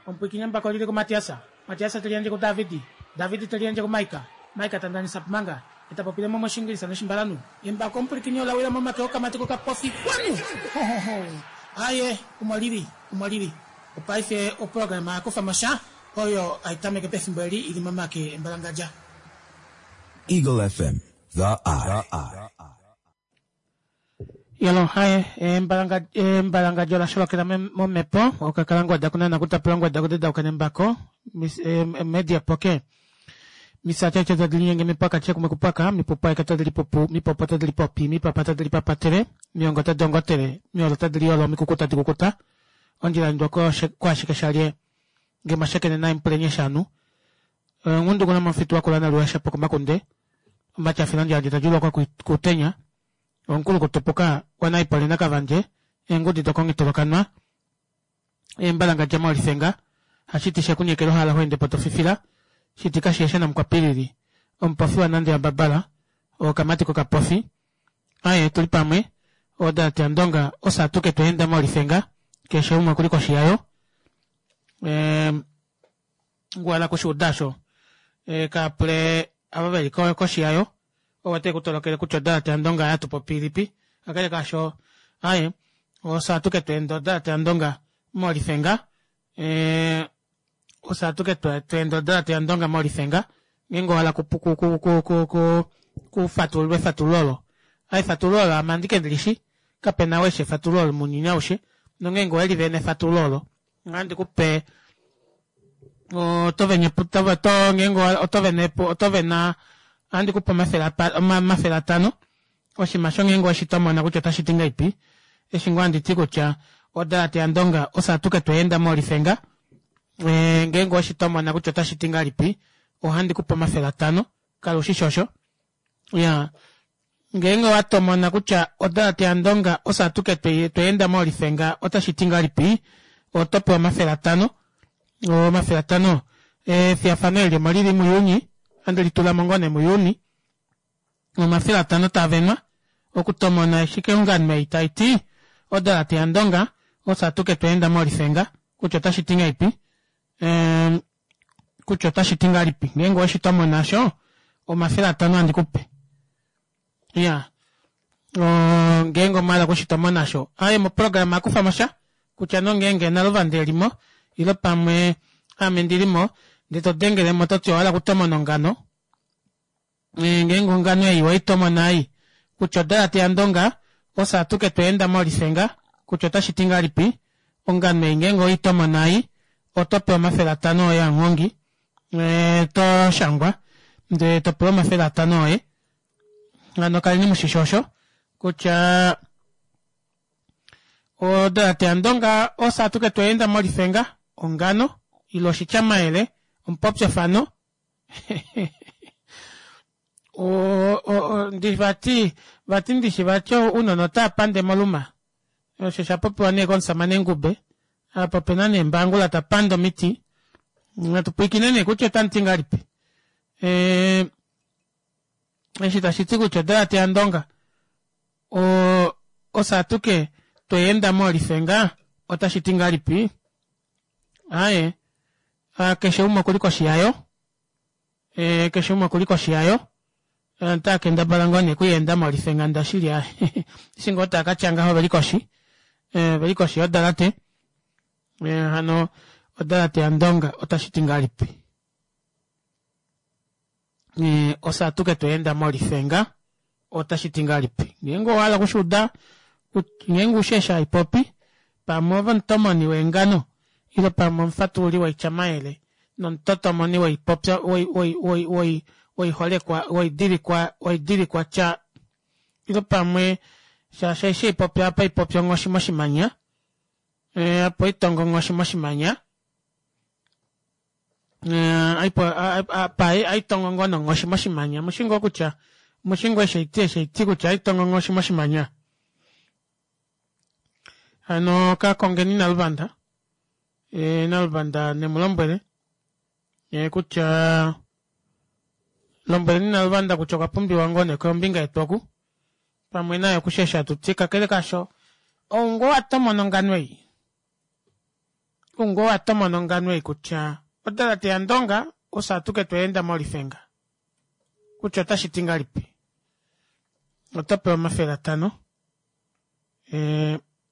Omupwiikini embako oli li kuMatias. Matias te liyandje kuDavid. David te liyandje kuMaika. Maika ta ndanisa Pumanga e ta popile mo mOshiingilisa nOshimbalanhu. Embako omupwilikini ola wila momake okamati kokapofi. Xwanu! Ho-ho-ho! Aaye, omo li li. Omo li li. Opaife oprograma ya kufa mo sha, oyo hai tameke pefimbo eli i li momake embalangadja. Eagle FM, The Eye. Yalo haye embalangadjo la sholokela momhepo okakala ngwada kunana kutapula ngwada kudedauka nembako media poke misatete tadi linyenge mipaka tye kumwe kupaka mipupu aike tadi lipupu mipopo tadi lipopi mipapa tadi lipapatele miongo tadi ongotele miolo tadi liolo mikuku tadi kukuta ondjila ndwa kwashike shalye ngemashekene naimpulenye shanu ngundu kuna mofitu wakula naluwasha pokomakunde omatyafilo ndjandje tadjulwa kutenya Omukulu kutupuka waNaipole naKavandje, eengudi dokongitolokanwa, eembalangadja moolifenga, hashiti shekunyekela ohala ho ende po to fifila, shiti kasheesha namukwapilili, omupofi waNande yaMbabala, okamati kokapofi, aye tuli pamwe, odalate yaNdonga ofye atuke twa enda moolifenga, keshe umwe okuli koshi yayo. Ehm, ngwala kushuuda osho e, ka pule ava veli koshi yayo ovo te ku tolokele kutya odalate yandonga ya tupopi ilipi kakele kaasho aye ofye atuke tweenda odalate yandonga molifenga e, ofye atuke tweenda odalate yandonga molifenga ngeenge owa hala kufatululwa efatululo olo a efatululo olo ame andike ndilishi kapena ou eshi efatululo olo mounyuni aushe nongeenge oweli vene efatululo olo Ohandi ku pe oto vene to ngeenge oto vene oto vena ohandi ku pe 500 oshinima sho ngeenge oweshi tomona kutya otashi ti ngahelipi eshi ngoo handi ti kutya odalate yaNdonga ofye atuke twa enda moolifenga ngeenge oweshi tomona kutya otashi ti ngahelipi ohandi ku pe 500 kala ushishi osho Ya. Ngeenge owa tomona kutya odalate yaNdonga ofye atuke twa enda moolifenga otashi ti ngahelipi, oto pewa 500. 500. Efiyafano eli omo li li muJuni, ohandi li tula mo ngoo nee muJuni. 500 taa venwa okutomona eshi keungano ei tai ti odalate yaNdonga ofye atuke twa enda moolifenga kutya otashi ti ngahelipi. Ehm, kutya otashi ti ngahelipi ngeenge oweshi tomona osho 500 handi ku pe ya ngeenge omwa hala okushi tomona osho aye moprograma akufa mo sha kutya nongeenge naluvanda e li mo ile pamwe ame ndi li mo ndee to dengele mo to ti owa hala okutomona ongano Ngeenge ongano ei wei tomona ei, kutya odalate yaNdonga, ofye atuke twa enda moolifenga, kutya otashi ti ngahelipi, ongano ei ngeenge owei tomona ei, oto pewa 500 oye amuhongi, to shangwa, ndee to pewa 500 oye. Hano kaleni mushishi osho, kutya odalate yaNdonga, ofye atuke twa enda molifenga, ongano, ile oshityamayele, omupopyofano, ndi vati vati ndishi vati ounona otava pande moluma osho sha popiwa nee komusamane Ngube apa opena nee Mbangula ta pande omiti natu pwiikine nee kutya otamu ti ngahelipi eshi tashi ti kutya odalate yaNdonga ofye atuke tweenda moolifenga otashi ti ngahelipi Aaye, keshe umwe okuli koshi yayo. E, keshe umwe okuli koshi yayo. Otaa kendabala ngoo nee kuyeenda molifenganda shili a. Eshi ngoo taa ka tya ngaho oveli koshi. E, oveli koshi yodalate. E, hano odalate yaNdonga otashi ti ngahelipi? E, ofye atuke tweenda molifenga otashi ti ngahelipi? Ngeenge owa hala okushuuda, ngeenge ushi eshi hai popi, pamwe ove omutomoni weengano, ile pamwe omufatululi woityamayele nomutotomoni woipopya, woiholekwa, woidilikwa, woidilikwatya, ile pamwe, shaashi eshi hai popi apa hai popi onghoshi moshimanya, opo i tongo onghoshi moshimanya, apa aitongo ngoo nonghoshi moshimanya omushi ngoo kutya omushi ngoo eshi aiti eshi aiti kutya aitongo onghoshi moshimanya hano ka kongeni Naluvanda e, Naluvanda ne mu lombwele e, kutya lombweleni Naluvanda kutya okwa pumbiwa ngoo nee kombinga yetu oku pamwe naye okushesha tuti kakele kasho ou ngoo wa tomona ongano ei. Ou ngoo wa tomona ongano ei kutya odalate yaNdonga ofye atuke twa enda molifenga kutya otashi ti ngahelipi? Oto pewa 500.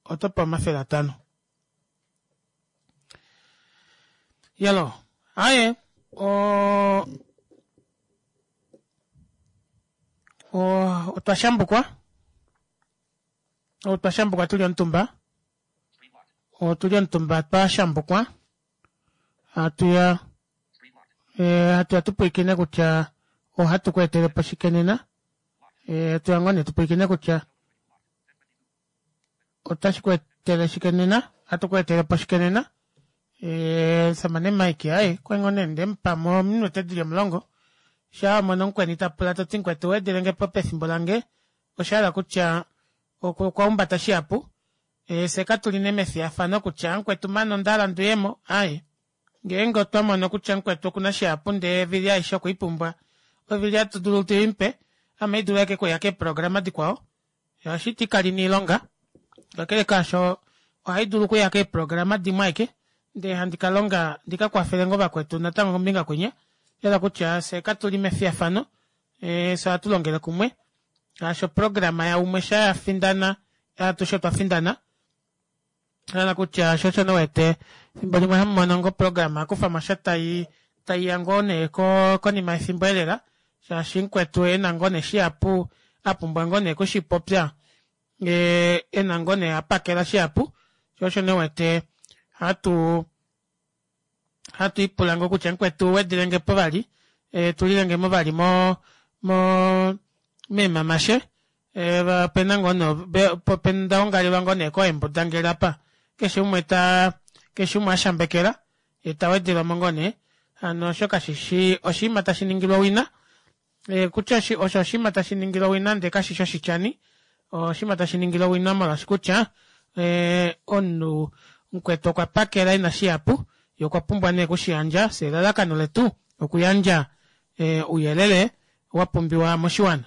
Oto pewa 500. Yalo, aye, o otwa shambukwa. Otwa shambukwa tuli omutumba. Otuli omutumba twa shambukwa. Hatu ya hatu ya tu pwilikine kutya ohatu ku etele po shike nena. Hatu ya ngoo nee tu pwilikine kutya otashi ku etele shike nena. Ohatu ku etele po shike nena. Omusamane Mike aye kwali ngoo nee nde mu pa mo ominute dili 10. Shaa wa mono mukweni ta pula to ti mukwetu wedelenge po pefimbo lange, osha hala kutya okwa humbata shihapu. Fye katu li nee mefiyafano kutya mukwetu mane onda hala nduyemo, aaye. Ngeenge otwa mono kutya mukwetu oku na shihapu ndee evili aishe okwe i pumbwa, ovili hatu dulu tu i mupe, ame i dulu ashike okuya keeprograma dikwao, shaashi ti kali na oilonga. Kakele kaasho, ohai dulu okuya keeprograma dimwe ashike, ndee handi ka longa ndi ka kwafele ngoo vakwetu natango kombinga kwinya. Osha hala kutya fye katu li mefiyafano, fye ohatu longele kumwe. Shaashi oprograma yaumwe sha ya findana, atushe otwa findana. Hala kutya sho osho wete efimbo limwe hamu mono ngoo oprograma akufa mo sha tai taiya ngoo nee konima yefimbo elela, shaashi mukwetu ena ngoo nee shihapu a pumbwa ngoo nee okushipopya, ena ngoo nee a pakela shihapu, sho osho nee wete hatu hatu ipula ngoo kutya mukwetu wedilenge po vali, tulilenge mo vali mo mo meemamashe, opena ngoo nee nda ongalelwa ngoo nee koembudangele apa, keshe umwe ta keshe umwe ashambekela ye ta wedelwa mo ngoo nee. Hano osho kashishi oshinima tashi ningilwa owina, kutya osho oshinima tashi ningilwa owina ndee kashishi oshityani, oshinima tashi ningilwa owina molwaashi kutya omunhu mukwetu okwa pakela ina shihapu, ye okwa pumbwa nee okushiyandja. Fye elalakano letu okuyandja ouyelele wa pumbiwa moshiwana.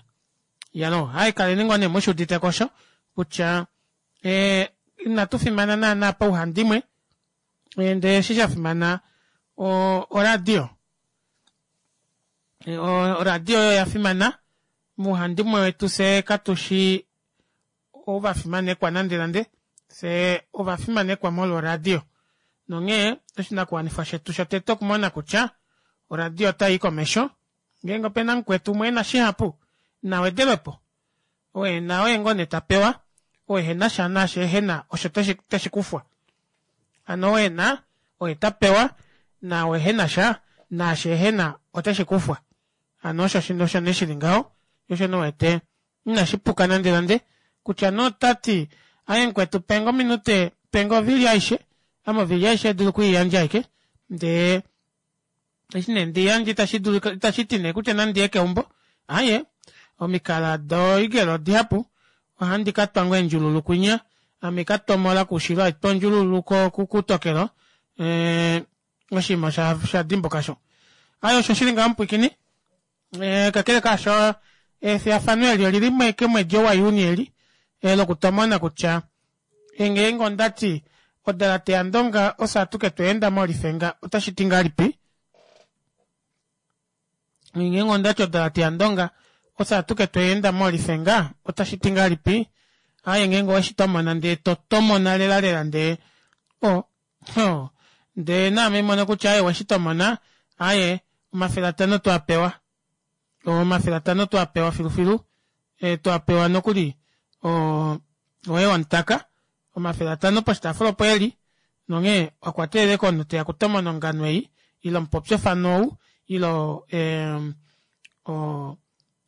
Yalo, hai kaleni ngoo nee mushuudite ko osho kutya inatu fimana naana pauhandimwe, ndee eshi sha fimana oradio. Oradio oyo ya fimana muuhandimwe wetu, fye katushi ovafimanekwa nande nande, fye ovafimanekwa molwa oradio. Nonghee oshinakuwanifwa shetu shotete okumona kutya oradio otai i komesho. Ngeenge opena mukwetu umwe ena shihapu, na wedelwepo. Oo ena oye ngoo nee ta pewa, oo ehena sha naashi ehena osho teshi kufwa. Hano oo ena oye ta pewa, naao ehena sha naashi ehena oteshi kufwa. Hano osho osho nee shili ngaho, osho nee wete inashi puka nande nande kutya nee ota ti aye mukwetu penge ominute, penge ovili aishe, ame ovili aishe dulu okwiiyandja ashike ndee eshi nee ndi yandje itashi dulu itashi ti nee kutya nandi ye keumbo, aye omikala doigelo odihapu, ohandi ka twa ngoo eendjululu kwinya, ame ka tomola koushilo haitwa ondjululu kutokelo, oshinima osha dimbuka sho. Aye osho shili ngaho mupwiikini, kakele kaasho efiyafano eli olili kemwedi ou waJuni eli, lokutomona kutya ngeenge onda ti odalate yaNdonga ofye atuke twa enda molifenga otashi ti ngahelipi? Ngeenge onda ti odalate yaNdonga ofye atuke twa enda molifenga otashi ti ngahelipi? Aaye ngeenge oweshi tomona ndee to tomona lela lela ndee o ho ndee naame mono kutya aye oweshi tomona, aaye 500 twa pewa. 500 twa pewa filufilu, twa pewa nokuli oye wamutaka 500 poshitaafula opo eli, nonghee okwa teelele komunhu teya kutomona ongano ei ile omupopyofano ou ile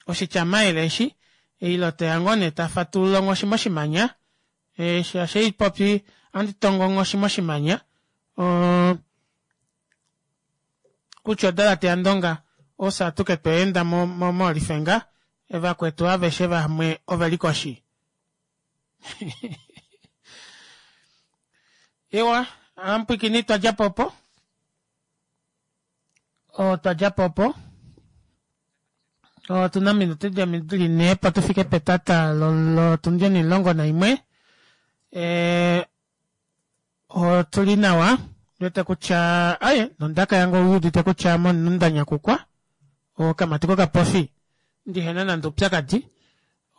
oshityamayele eshi ile teya ngoo nee ta fatulula onghoshi moshimanya, shaashi ei popi ohandi tongo onghoshi moshimanya, kutya odalate yaNdonga ofye atuke twa enda molifenga, vakwetu aveshe vamwe ove li koshi. Ewa, amupwikini twa dja po opo. Otwa dja po opo. Otu na ominute dili nhee opo tu fike petata lotundi onimulongo naimwe. Otu li nawa. Ndiwete kutya aye nondaka yange ouudite kutya ame omunhu ndanyakukwa okamati kokapofi ndihena nande oupyakadi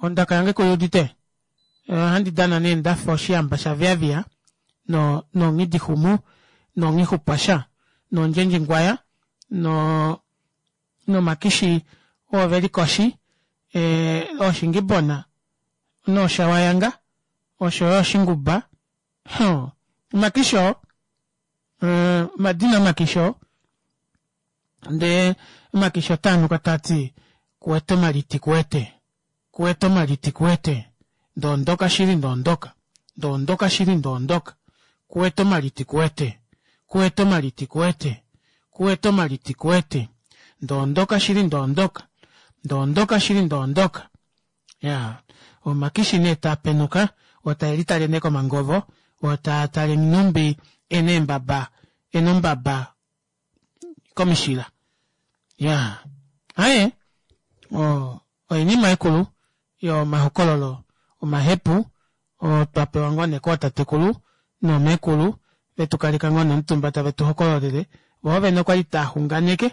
ondaka yange kuiudite ohandi dana nee ndafa oshihamba shaviaviya no nonghidixumu nonghixupwasha nondjendjingwaya no nomakishi oo veli koshi ooshingibona nooshawayanga oshoyo oshinguba huh omakishi oo omadina omakishi oo ndee omakishi otaanuka taati kuwete omaliti kuwete kuwete omaliti kuwete ndoondoka shili ndoondoka ndoondoka shili ndoondoka kuwete omaliti kuwete kuwete omaliti kuwete kuwete omaliti kuwete ndoondoka shili ndoondoka ndoondoka shili ndoondoka Iyaa omakishi nee taapenuka oo taelitale nee komangovo oo taatale nhumbi ena eembaba ena ombaba komishila iyaa aaye oinima ikulu yomahokololo omahepu oo twapewa ngoo nee kootatekulu noomeekulu vetukaleka ngoo nee omutumba tave tuhokololele voo vene okwali taaxunganeke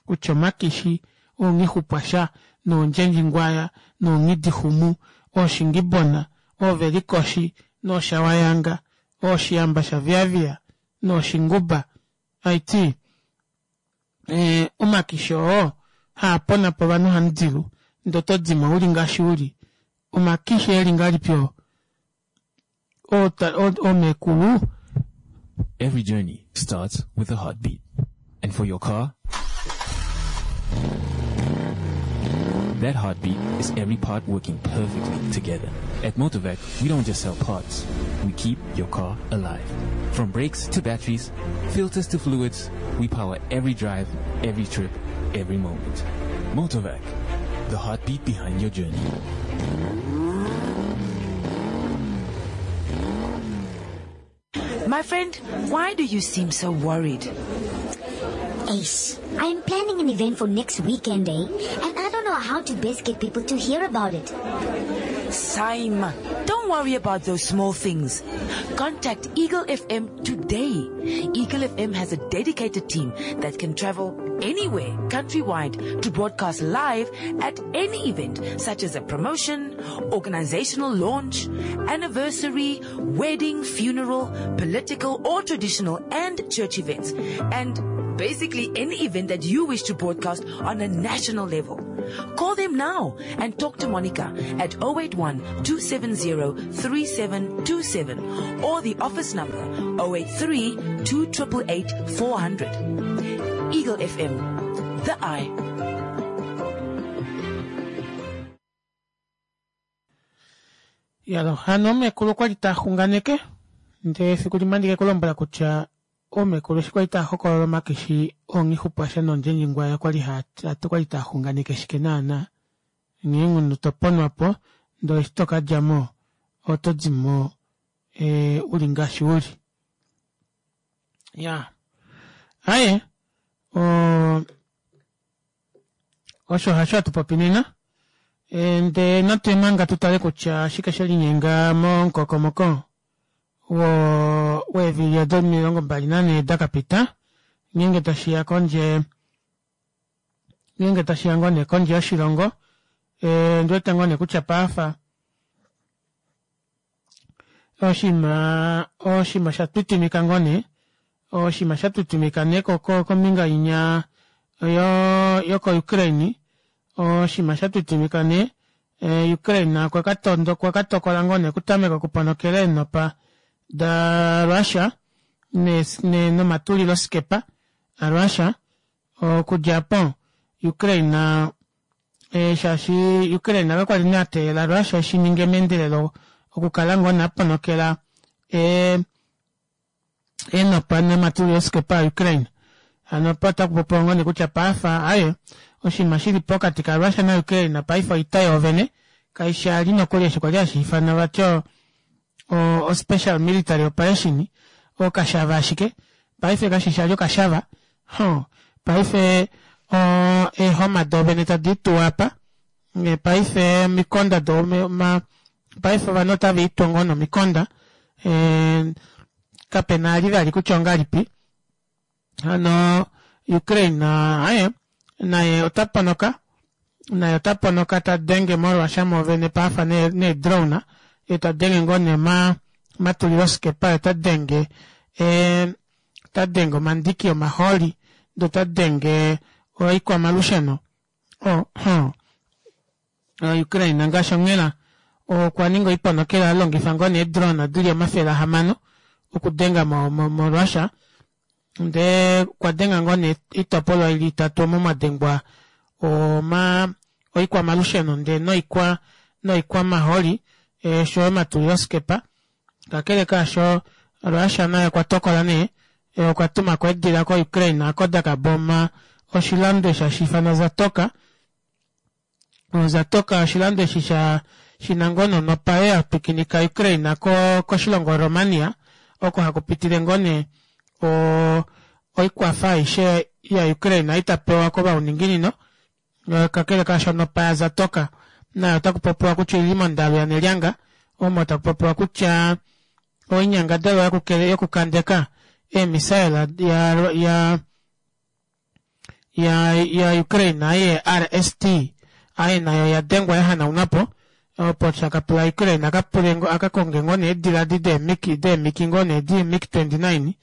kutya omakishi oonghixupwasha noondjendjingwaya noonghidixumu ooshingibona oovelikoshi nooshawayanga ooshihamba shaviaviya nooshinguba haiti omakishi oo haaponapo ovanhu hamudilu ndee otodimo uli ngaashi uli omakishi eli ngahelipi oo oomekulu Every journey starts with a heartbeat. And for your car, that heartbeat is every part working perfectly together. At Motorvac, we don't just sell parts. We keep your car alive. From brakes to batteries, filters to fluids, we power every drive, every trip, every moment. Motorvac, the heartbeat behind your journey. My friend, why do you seem so worried? Ace, I am planning an event for next weekend, eh? And I don't know how to best get people to hear about it. Saima, don't worry about those small things. Contact Eagle FM today. Eagle FM has a dedicated team that can travel anywhere countrywide to broadcast live at any event such as a promotion, organizational launch, anniversary, wedding, funeral, political or traditional and church events. And basically any event that you wish to broadcast on a national level. Call them now and talk to Monica at 081 270 3727 or the office number 083 2888 400. Eagle FM, the eye. Yalo, hano omekulu okwali taxunganeke ndee efiku limwe andike kulombwela kutya oomekulu eshi kwali tava hokolola omakishi oonghixupwasha noondjendjingwaya okwali okwali tava xunganeke shike naana nghee omunhu toponwapo ndee eshi tokadjamo oto dimo uli ngaashi uli. Iyaa aaye osho hasho hatu popi nena ndee natu manga tutale kutya oshike shelinyenga momukokomoko weevili odo 24 dakapita ngeenge tashiya kondje ngeenge tashiya ngoo nee kondje yoshilongo ondiwete ngoo nee kutya paife oshinima oshinima sha twitwimika ngoo nee oshinima sha twitwimika nee kombinga inya yoko Ukraine oshinima sha twitwimika nee Ukraine okwakatokola ngoo nee okutameka okuponokela eenopa da Russia nomatulilo skepa a Russia okudja aapo Ukraine shaashi Ukraine kakwali nee ateelela Russia eshininge meendelelo okukala ngoo nee aponokela eenopa nomatulilo skepa a Ukraine hano opo otakupopiwa ngoo nee kutya paife aaye oshinima shili pokati ka Russia na Ukraine paife oita yoovene kaishi ali nokuli eshi kwali hashiifanwa vati o special military operation okashava ashike paife kashishi ali okashava huh paife eehoma doovene tadi ituwa apa paife omikonda do paife ovanhu otava itwa ngoo nomikonda. Kapena ali vali kutya ongalipi. Hano Ukraine aye naye ota ponoka naye ota ponoka ta denge moRussia moovene paafa nee drone ye ta denge ngoo nee omatuliloskepa ye ota denge ota denge omandiki omahooli ndee ota denge oikwamalusheno Ukraine ngaashi onghela okwa ninga oiponokela alongifa ngoo nee eedrone dili 600 okudenga moRussia ndee okwa denga ngoo nee oitopolwa ili itatu omo mwadengwa oikwamalusheno ndee noikwa noikwamahooli oshoyo omatuliloskepa kakele kaasho Russia naye okwa tokola nee okwa tumako eedila ko Ukraine oko dakaboma oshilando eshi hashi ifanwa Zatoka Zatoka oshilando eshi sha shina ngoo nee onopa oyo yatwikinika Ukraine koshilongo Romania oko hakupitile ngoo nee oikwafa aishe ya Ukraine itapewa kovauninginino kakele kaasho onopa ya Zatoka nayo otakupopiwa kutya oili mondalu yanelyanga omo takupopiwa kutya oinyangadalwa yokukandeka eemisaela ya Ukraine aye RST aye nayo yadengwa yahanaunwapo opo shakapula Ukraine akapule akakonge ngoo nee eedila edi deemiki ngoo nee di MiG 29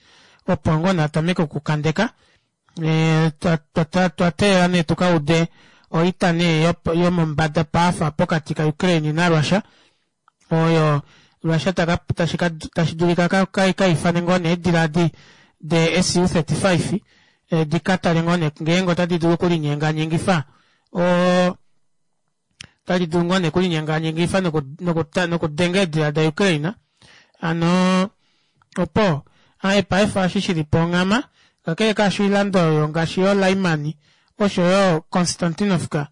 opo ngoo nee atameke okukandeka twateelela nee tukaude oita nee yomombada paafa pokati ka Ukraine naRussia oyo Russia tashi dulika kaifane ngoo nee eedila edi de Su-35 dikatale ngoo nee ngeenge otadi dulu okulinyenganyengifa otadi dulu ngoo nee okulinyenganyengifa nokudenga eedila da Ukraine hano opo aye paife eshi shilipo onghama kakele kaasho oilando oyo ngaashi yo Lyman oshoyo Konstantinovka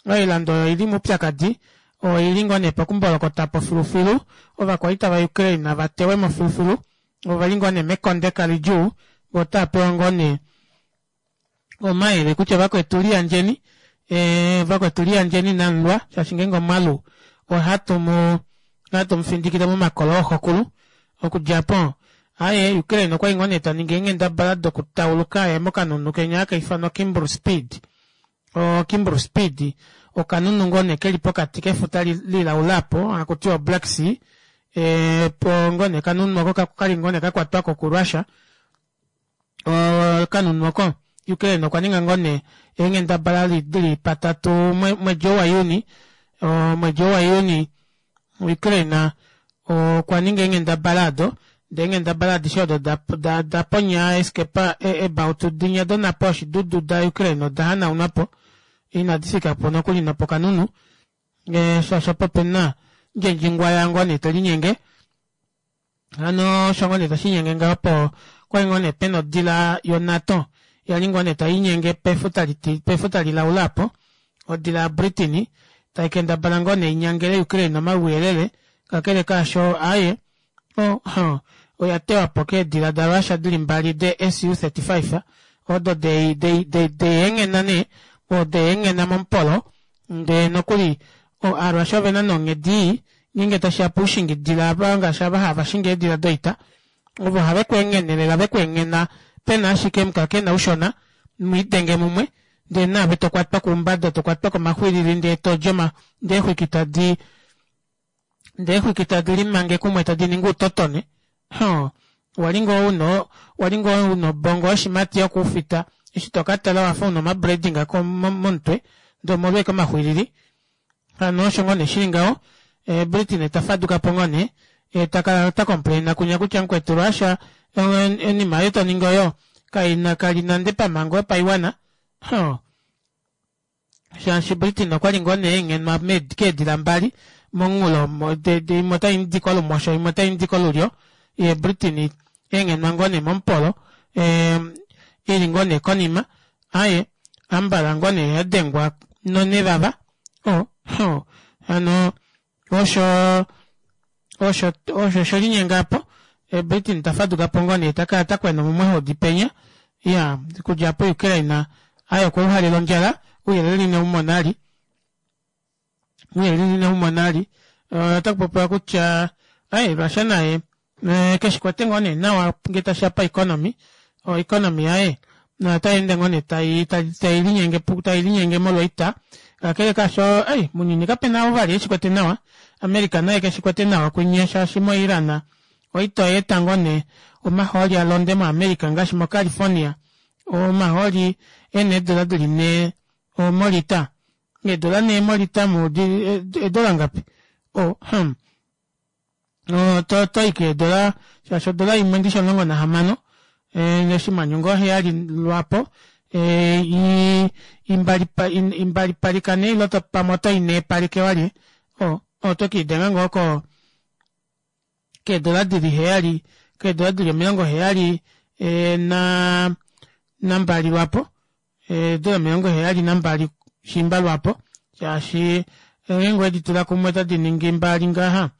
oilando oyo oili moupyakadi oili ngoo nee pokumbolokotapo filufilu ovakwaita va Ukraine vatewemo filufilu oveli ngoo nee mekondeka lidjuu voo otaapewa ngoo nee omayele kutya vakwetu liyandjeni vakwetu liyandjeni namulwa shaashi ngeenge omwalu ohatu mu ohatu mufindikile momakolo ooxokulu okudja apo aaye Ukraine okwali ngoo nee taningi eenghendabala dokutauluka aye mokanhunhu kenya haka ifanwa Kimbru Speed o Kimbru Speed okanhunhu ngoo nee keli pokati kefuta lilaula apo hakutiwa Black Sea po ngoo nee okanhunhu oko kali ngoo nee kakwatwako ku Russia okanhunhu oko Ukraine okwa ninga ngoo nee eenghendabala dili patatu mwedi ou waJuni omwedi ou waJuni Ukraine okwa ninga eenghendabala odo ndee eenghendabala adishe odo daponya eeskepa eebautu dinya donhapo yoshidudu da Ukraine oda hanaunwapo inadi fikapo nokuli nopokanhunhu shaashi opo pena ndjendjingwaya ngoo nee telinyenge hano osho ngoo nee tashiinyenge ngaho opo okwali ngoo nee pena odila yo NATO yali ngoo nee taiinyenge pefuta lilaula apo odila ya Britain taikendabala ngoo nee inyangele Ukraine omauyelele kakele kaasho aaye oya tewapo keedila da Russia dili mbali de Su-35 odo deyenghena nee odeyenghena momupolo ndee nokuli Aarussia ovena nee onghedi ii ngeenge tashiya poushingidila ava ngaashi ava hava shingi eedila doita ovo have kweenghene lela vekweenghena pena ashike omukakena ushona mwiidenge mumwe ndee naave tokwatwa koumbada tokwatwa komaxwilili ndee todi ndee eexwiki tadi ndee eexwiki tadi limange kumwe tadi ningi outotone wali ngoo una wali ngoo una obongo yoshimati yokuufita eshi tokatala wafa una omabrading momutwe ndee omolwa ashike omaxwilili hano osho ngoo nee shili ngaho Britain tafadukapo ngoo nee takala ta complaina kunya kutya mukwetu Russia oinima oyo toningi oyo kaina kali nande pamhango yopaiwana shaashi Britain okwali ngoo nee enghenwa keedila mbali momunghulo imwe otaidi kolumosho imwe otaidi kolulyo ye Britain enghenwa ngoo nee momupolo ili ngoo nee konima aaye ambala ngoo nee yadengwa nonevava hano osho osho osho shelinyenga apo Britain tafadukapo ngoo nee takala takwena omumwe penya iya okudja apo Ukraine aye okwauhalela ondjala ouyelele ineumona ali ouyelele ineumona ali otakupopiwa kutya aye Russia naye. Keshikwete ngoo nee nawa ngee tashiya pa economy, o economy yaye otai ende ngoo nee tailinyenge molwo oita kakele kaasho mounyuni kapena ou vali eshikwete nawa America naye keshikwete nawa kunya shaashi mo iran oita oyaeta ngoo nee omahooli alonde mo america ngaashi mo california omahooli ena eedora dili nhee molita eedora nhee molita eedora ngapi oh hmm otoyi keedora shaashi odola imwe ndishi 16 oshinghwanyu ngoo heyali lwaapo imbalipalika nee ile pamwe otoyi neepalike walye oto kelidenga ngoo ko keedora dili heyali keedora dili omilongo heyali nambali lwaapo eedora 72 shiimba lwaapo shaashi ngeenge oweditula kumwe otadi ningi mbali ngaha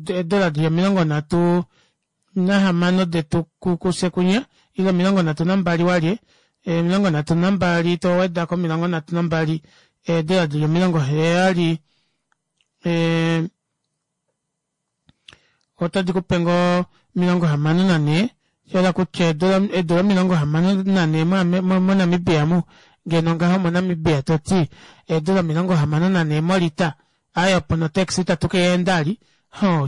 eedora dili 36 detu kufye kunya ile 32 walye 32 towedako 32 eedora dili 70 otadi kupe ngoo 64 shahala kutya eedora 64 monamibia omu ngeno ngaho monamibia toti eedora 64 molita aaye opo notaxi itatu keenda ali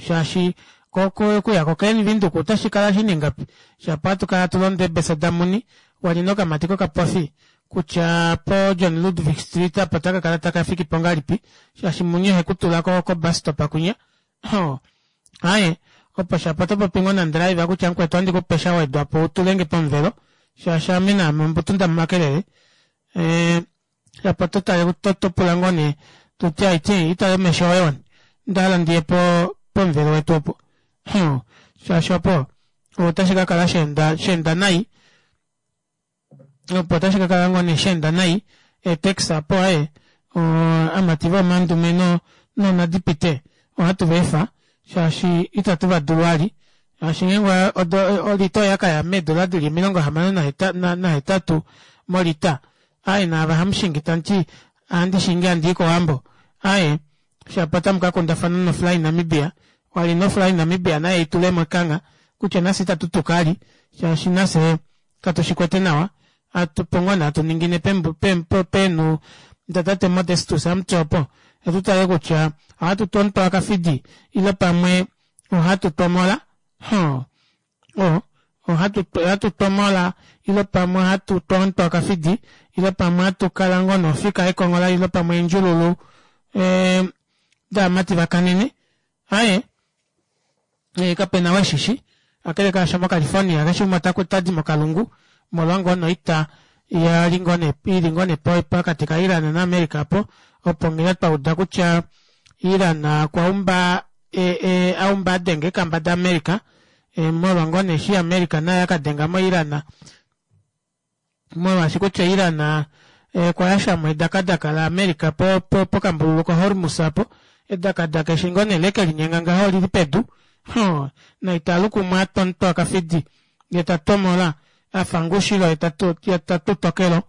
shaashi okuya ko Klein Windhoek otashikala shina ingapi shapo hatukala hatulonda eebesa damuni walina okamati kokapofi kutya po John Ludwig Street apo otakakala takafikipo ngahelipi shaashi muni ohekutula ko bus stop kunya aaye opo shapo otopopi ngoo nandriver kutya mukwetu ohandikupe shawedwapo utulenge pomuvelo shaashi ame naame ombutu ndamumakelele shapo ototale topula ngoo nee toti aiti itale omesho oye wani ondahala ndiye pomuvelo wetu opo shaashi opo otashi kakala sheenda nai opo otashi kakala ngoo nee sheenda nai eetaxi aapo aaye amati vomandume nonadipite ohatu vaefa shaashi itatu vadulu vali shaashi ngeenge olita oyakaya meedora dili 68 molita aaye naava hamushingi tamuti ohandi shingi handii kowambo aaye shapo otamu kakundafana no fly namibia wali no fly namibia naye itulemo ekangha kutya nafye itatu tuka vali shaashi nafye katushikwete nawa opo ngoo nee hatu ningine peenhu datate Modestus Amutse opo otutale kutya ohatu tonto akafidi ile pamwe ohatu tomola ohatu tomola ile pamwe ohatu tonto akafidi ile pamwe ohatu kala ngoo nofika ekonghola ile pamwe eendjululu daamati vakanene aaye kapena weshishi kakele kaasho mo California keshe umwe otadi mokalungu molwa ngoo noita ili ngoo nee pokati ka Iran na America apo opo nghee twauda kutya Iran okwaumba aumba adenga eekamba da America molwa ngoo nee eshi America naye akadenga mo Iran molwaashi kutya Iran okwayashamo edakadaka la America pokambululu ko Hormuz apo edakadaka eshi ngoo nee lekelinyenga ngaho olili pedu naitalukumwe atonto akafidi yee tatomola afa ngushilo yetatutokelo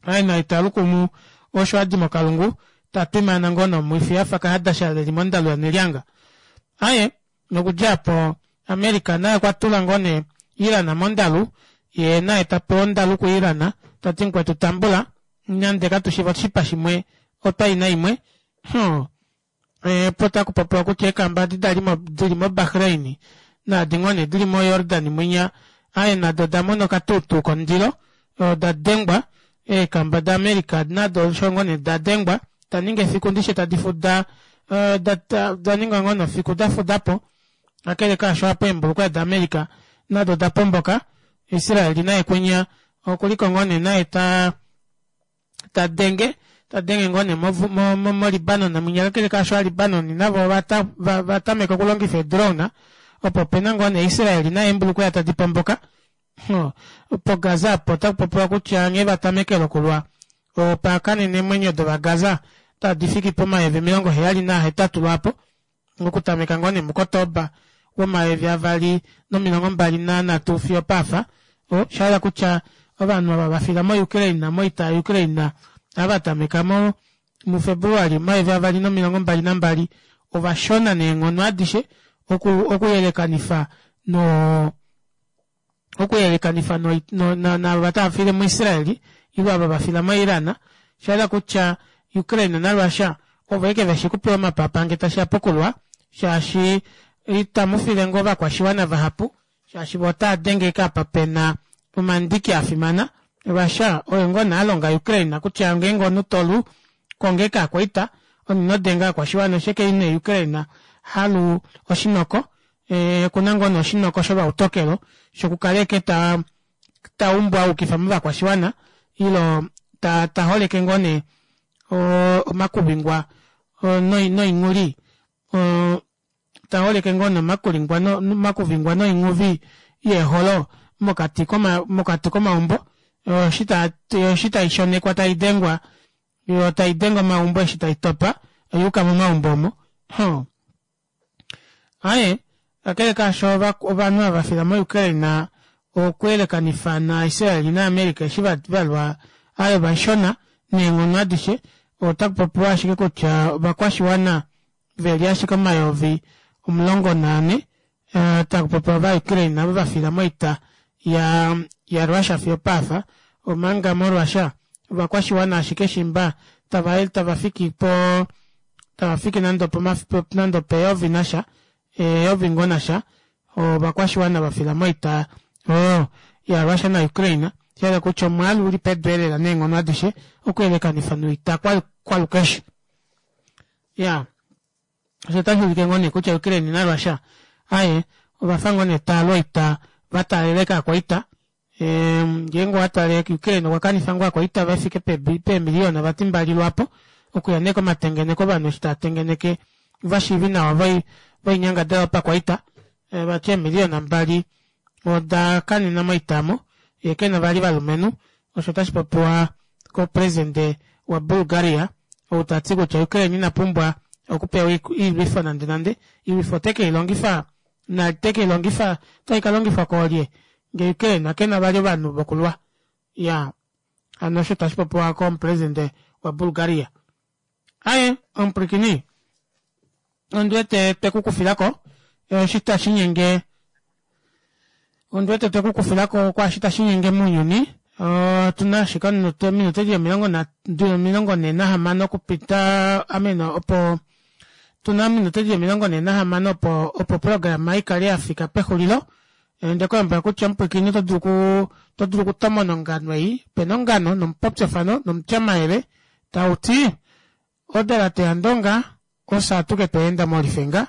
aaye naitalukumu osho adi mokalungu tatwimaana ngoo nomwifi afa kahadasha eli mondalu yanelyanga aaye nokudja aapo America naye okwatula ngoo nee Iran mondalu yee naye tapewa ondalu ku Iran tati mukwetu tambula nande katushiva oshipa shimwe otwaina imwe opo takupopiwa kutya eekamba edi dali dili mo Bahrain naadi ngoo nee dili mo Jordan mwinya aaye nado odamona okatuutuu komundilo oda dengwa eekamba da America nado osho ngoo nee dadengwa daninga efiku ndishi tadi fuda daninga ngoo nee efiku dafudapo kakele kaasho aapo eembulukweya da America nado odapomboka Israel naye kunya okuliko ngoo nee naye tadenge tadenge ngoo nee mo Libanon mwinya kakele kaasho ova Libanon navo ovatameka okulongifa ee drone opo opena ngoo nee Israel naye eembulukweya tadi pomboka po Gaza apo otakupopiwa kutya nghee vatamekele okulwa opakanena eemwenyo dova Gaza tadi fiki pomayovi 78 lwaapo okutameka ngoo nee mukotoba womayovi 2023 fiyo opaafa oshahala kutya ovanhu ava vafila mo Ukraine moita ya Ukraine ava tameka mufebruary 2022. ovashona neenghono adishe oku okuyelekanifa no okuyelekanifa no, no, na, naava tava file muIsraeli ile ava va fila moIran shahala kutya Ukraine naRussia ovo eke veshi kupewa omapapa nge tashiya pokulwa shaashi itamu file ngoo ovakwashiwana vahapu shaashi vo otava denge eke apa pena omandiki afimana Russia oye ngoo nee alonga Ukraine kutya ngeenge omunhu tolu konga eke akwaita omunhu ino denga ovakwashiwana oshike ine Ukraine halu oshinoko e, okuna ngoo nee oshinoko shovautokelo shokukala eke ta ta umbu aukifa movakwashiwana ilo ta ta holeke ngoo nee omakuvingwa noinguli ta holeke ngoo nee omakulingwa omakuvingwa noinghuvi yeeholo mokati koma mokati komaumbo eshi ta eshi tai shonekwa tai dengwa yo tai denge omaumbo eshi tai topa oyuuka momaumbo omo huh. Aye, kakele kaasho ovanhu ava va fila moUkraine okuyelekanifa naIsrael naAmerica eshi va lwa aye ovashona neenghono adishe, otaku popiwa ashike kutya ovakwashiwana ve li ashike 14,000 taku popiwa Ovaukraine avo va fila moita yaRussia fiyo opaafa, omanga moRussia ovakwashiwana ashike shimba tava tava fiki po tava fiki nande nande opeyovi nasha eyovi ngoo nasha ovakwashiwana va fila moita oyo yaRussia naUkraine, sha hala kutya omwaalu uli pedu elela neenghono adishe okuyelekanifa noita kwalukeshe. Ya osho otashi ulike ngoo nee kutya Ukraine naRussia aye ovafa ngoo nee tava lu oita va taaleleka akwaita ngeenge owa tale Ukraine okwa kanifa ngoo akwaita ve fike peemiliyona vati mbali lwaapo okuya nee komatengeneko ovanhu eshi tava tengeneke ovashiivi nawa voinyangadalwa yopakwaita vati eemiliyona mbali oda kanena moita omo yee kena vali ovalumenhu osho otashi popiwa kopresidente waBulgaria ou ta ti kutya Ukraine ina pumbwa okupewa oilwifo nande nande oilwifo ote ke i longifa na te ke i longifa otai ka longifwa koolye ngee Ukraine ke na vali ovanhu vokulwa ya hano osho tashi popiwa komupresidente waBulgaria aye omupwilikini ondi wete twe ku kufilako eshi tashi nyenge ondi wete twe ku kufilako kwaashi tashi nyenge mounyuni otuna ashike ominute di 46 okupita amene opo tuna ominute di 46 opo opo programa ikale yafika pexulilo onde ku lombwela kutya omupwilikini oto dulu oto dulu okutomona ongano ei pena ongano nomupopyofano nomutyamayele tau ti Odalate yaNdonga ofye atuke twa enda molifenga,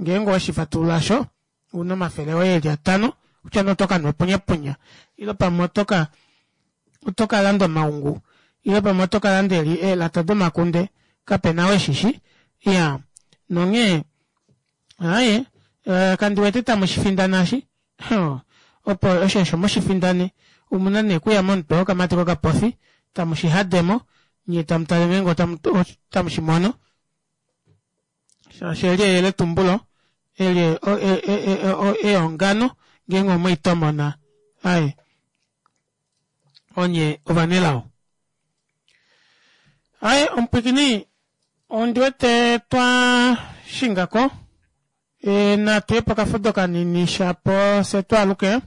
ngeenge oweshi fatulula osho, ouna omafele oye eli atano, kutya nee oto ka nwa epunyapunya, ile pamwe oto ka oto ka landa omaungu, ile pamwe oto ka landa eli eelata domakunde, kapena ou eshishi. Iya, nonghee, aaye, kandi wete tamu shi findana eshi. Opo osho osho mu shi findane, omuna nee okuya momutwe wokamati kokapofi, tamu shi hade mo, nye tamu tale ngeenge otamu shi mono. Shaashi eli eyeletumbulo, eli eongano, ngeenge omwe i tomona, aye, onye ovanelao. Aye, omupwikini, ondi wete twa shinga ko. E, natu ye pokafudo kanini shapo fye twaaluke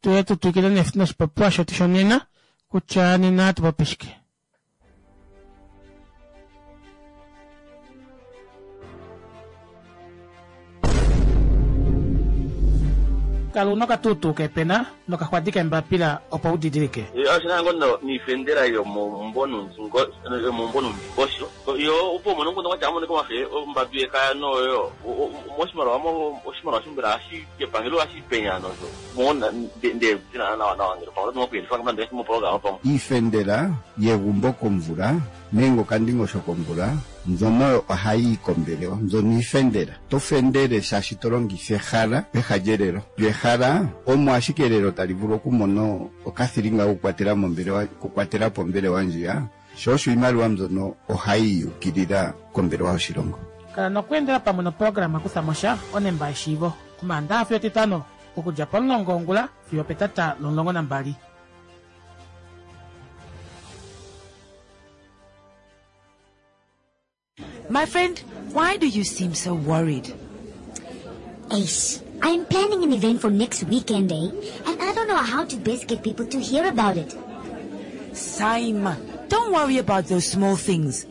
tuye tu twikile noshipopiwa shetu shonena kutya nena hatu popi shike. Kala una okatuutuu kepena nokaxwadi kembapila opo u didilike. Oshina ngo niifendela yomomumvo nuundingosho. Yo opo umone omukundu gwatya amonike omafe ombambi yekaya noyo moshimaliwa mo oshimaliwa shombela hashi kepangelo hashi penya nosho mo nde tina nawa nawa ngele pamwe oto kuyelifa nande mo programa pamwe. Iifendela yegumbo komvula nenge okandingosho komvula mbyono oyo ohayi yi kombelewa. Mbyono iifendela. To fendele shaashi to longitha ehala peha lyelelo. Lyo ehala omo ashike elelo tali vulu okumona okathilinga kokukwatela mombelewa, okukwatela po ombelewa ndjiya. Sho osho iimaliwa mbyono ohayi yukilila kombelewa yoshilongo. Kala nokweendela pamwe noprograma Kutha mo sha, Onemba yeshiivo, Omaandaha fiyo Etitano, okudja pomulongo wongula fiyo opetata lomulongo nambali. My friend, Why do you seem so worried? Ace, I'm planning an event for next weekend, eh? And I don't know how to best get people to hear about it. Saima, don't worry about those small things.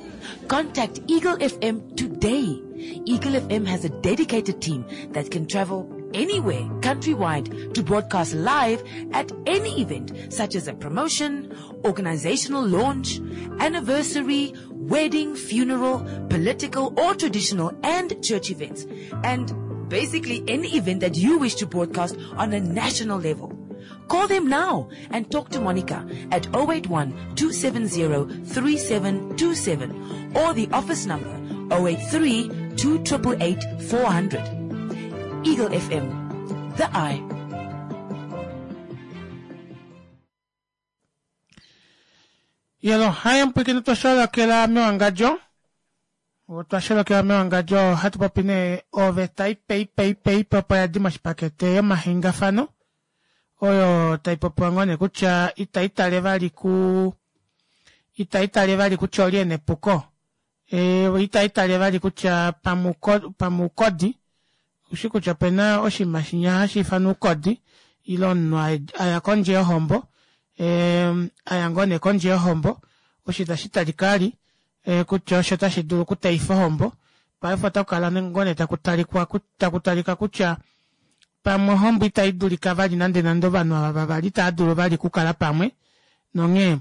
Contact Eagle FM today. Eagle FM has a dedicated team that can travel anywhere countrywide to broadcast live at any event such as a promotion, organizational launch, anniversary, wedding, funeral, political or traditional and church events. And basically any event that you wish to broadcast on a national level. Call them now and talk to Monica at 081 270 3727 or the office number 083 2888 400. Eagle FM, the eye. Yelo, hai mpwikini twasholokela mewangadjo. Otwa mewangadjo hatu popi nee oveta ipe ipe ipe ipe opo yadi moshipakete yomahengafano oyo tai popiwa ngoo nee kutya itai tale vali ku itai tale vali kutya oli ena epuko e, itai tale vali kutya pamuukodi ushi kutya opena oshinima shinya hashi ifanwa uukodi ile omunhu aya kondje yohombo e, aya ngoo nee kondje yohombo osho itashi talika ali e, kutya osho tashi dulu okuteifa ohombo paife otaku kala ngoo nee taku talika kutya pamwe ohombo itai dulika vali nande nande ovanhu ava vavali itava dulu vali okukala pamwe nonghee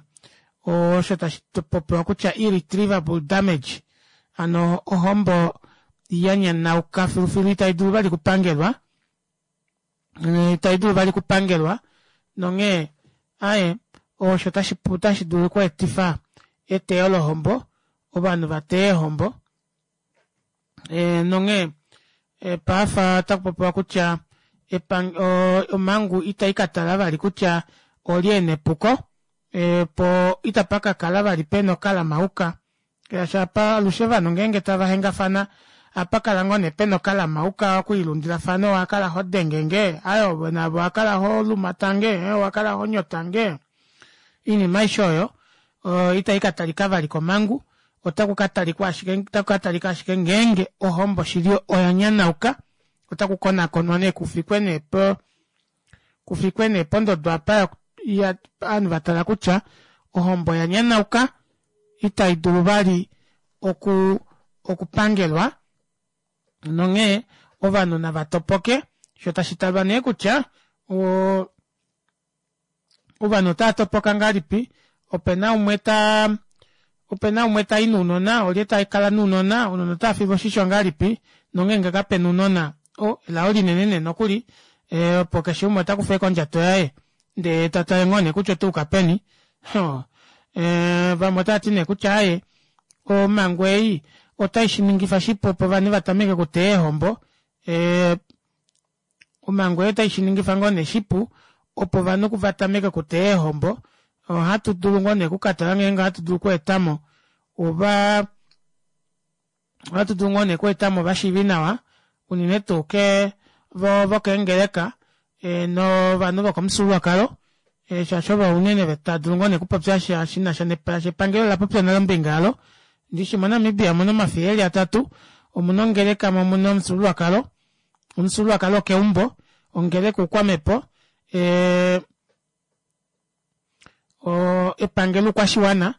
osho tashi popiwa kutya irretrievable damage ano ohombo ya nyanauka filufilu itai dulu vali kupangelwa itai dulu vali kupangelwa nonghee aye osho tashi dulu okweetifa eteyo lohombo ovanhu va teye eehombo e, nonghee e, paafa otaku popiwa kutya omhangu itai ka tala vali kutya olye ena epuko e, po itapa ka kala vali pena okalamauka shaashi apa alushe ovanhu ngeenge tava hengafana apa kala ngoo nee pena okalamauka okwiilundilafana owakala ho denge nge ayo navo owakala ho lumatange owakala ho nyotange oinima aishe oyo itai ka talika vali komhangu otaku ka talikwa ashike otaku ka talika ashike ngeenge ohombo shili oya nyanauka otaku konakonwa nee kufikwe nee po kufikwe nee pondodo apa ovanhu va tala kutya ohombo ya nyanauka itai dulu vali oku okupangelwa nonghee ovanhu nava topoke sho tashi talwa nee kutya ovanhu otava topoka ngahelipi opena umwe ta opena umwe tai nounona olye ta kala nounona ounona otava filwa oshisho ngahelipi nongeenge kapena ounona o elao linene nee nokuli e, opo keshe umwe ota kufa kondjato yaye ndee ta tale ngoo nee kutya otauka peni e, vamwe otava ti nee kutya aye omhangu ei otai shi ningifa shipu opo ovanhu va tameke okuteya eehombo e, omhangu ei otai shi ningifa ngoo nee shipu opo ovanhu va tameke okuteya eehombo ohatu dulu ngoo nee okukatala ngeenge ohatu dulu okweetamo ova ohatu dulu ngoo nee okweetamo ovashiivi nawa unene tuu ke vokeengeleka e, novanhu vokomufyuululwakalo e, shaashi ovo unene tava dulu ngoo nee okupopya sha shi na sha epangelo la popya nale ombinga yalo ndishi moNamibia omuna omafiya eli atatu omuna ongeleka mo omuna omufyuululwakalo omufyuululwakalo okeumbo ongeleka oukwamhepo e, epangelo oukwashiwana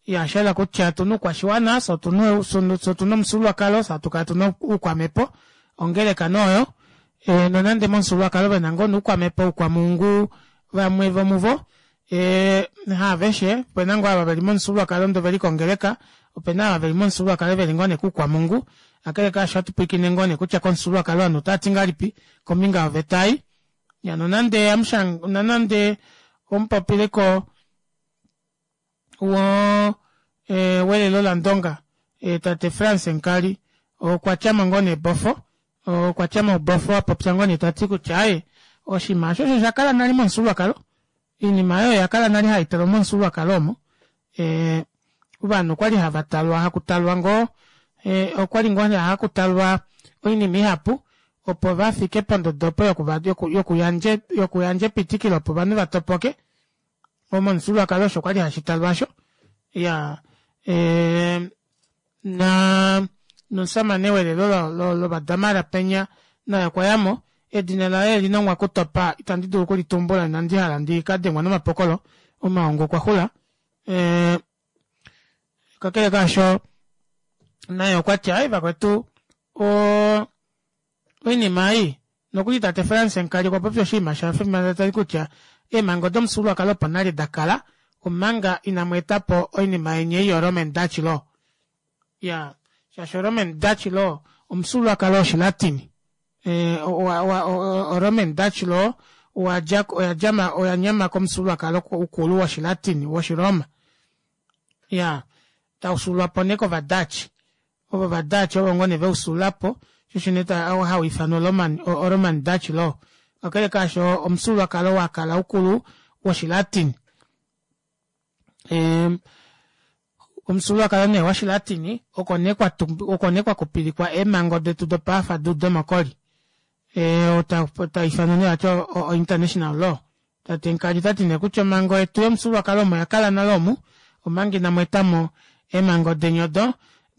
ya shahala kutya otuna oukwashiwana fye otuna omufyuululwakalo fye hatu kala tuna oukwamhepo ongeleka nooyo e, nonande momufyuululwakalo vena ngoo noukwamhepo oukwamungu vamwe vomuvo e, haaveshe opena ngoo ava veli momufyuululwakalo ndoo veli kongeleka opena ava veli momufyuululwakalo veli ngoo nee kuukwamungu kakele kaasho ohatu pwilikine ngoo nee kutya komufyuululwakalo ovanhu otava ti ngahelipi kombinga yoveta ei ya nonande amushanga nonande omupopiliko wo e, welelo landonga e, tate Frans Enkali okwa tyamo ngoo nee bofo okwa tyamo bofo apopya ngoo nee tati kutya aye oshinima osho osho sha kala nale momufyuululwakalo oinima oyo oya kala nale hai talwa momufyuululwakalo omo e, ovanhu okwali hava talwa hakutalwa ngoo e, okwali ngoo hakutalwa oinima ihapu opo vafike pondodo opo yokuyandja epitikilo opo ovanhu vatopoke momufyuululwakalo osho kwali hashi talwa osho ya e, na Nomusamane welelo lovadamara penya naye okwa yamo. Edina laye elinongwa kutopa itandi dulu okulitumbula inandi hala ndi ka dengwa nomapokolo omaongo okwa xula. Kakele kaasho naye okwa ti ai vakwetu oinima ei nokuli tate Frans Enkali okwa popya oshinima sha fimana tali kutya eemhango domufyuululwakalo opo nale da kala omanga inamu eta po oinima yeni ei yoRoman Dutch law. Ya, shaashi oRoman Dutch law omufyuululwakalo wOshilatini. ORoman Dutch law owa dja oya dja oya nyama komufyuululwakalo ukulu wOshilatini wOshiroma. Ya, tau fyuululwa po nee kOvadutch. Ovo Ovadutch ovo ngoo nee ve u fyuulula po, sho osho nee hau ifanwa Roman, oRoman Dutch law. Kakele kaasho omufyuululwakalo wa kala ukulu wOshilatini. Omufyuululwakalo nee wOshilatini oko nee kwa oko nee kwa kupilikwa eemhango detu dopaafa duudemokoli. Ta ifanwa nee vati o-international law. Tate Nkali ota ti nee kutya omhango yetu yomufyuululwakalo omo ya kala nale omu, omanga inamu eta mo eemhango deni odo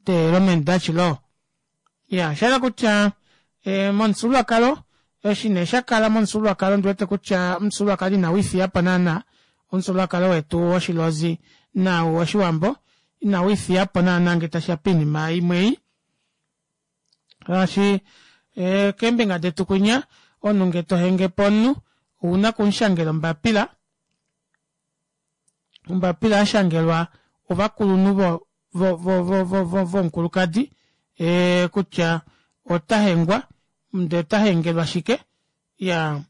de-Roman Dutch law. Ya, osha yela kutya momufyuululwakalo, eshi nee sha kala momufyuululwakalo ondi wete kutya omufyuululwakalo inau ifiya po naana, omufyuululwakalo wetu wOshilozi naau wOshiwambo inau ifiya po naana ngee tashi ya poinima imwe ei. Shaashi keembinga detu kwinya omunhu ngee to henge po omunhu ouna okumushangela ombapila, ombapila ya shangelwa ovakulunhu vo vo vo vo vo vomukulukadi kutya ota hengwa ndee ota hengelwa shike. Iyaa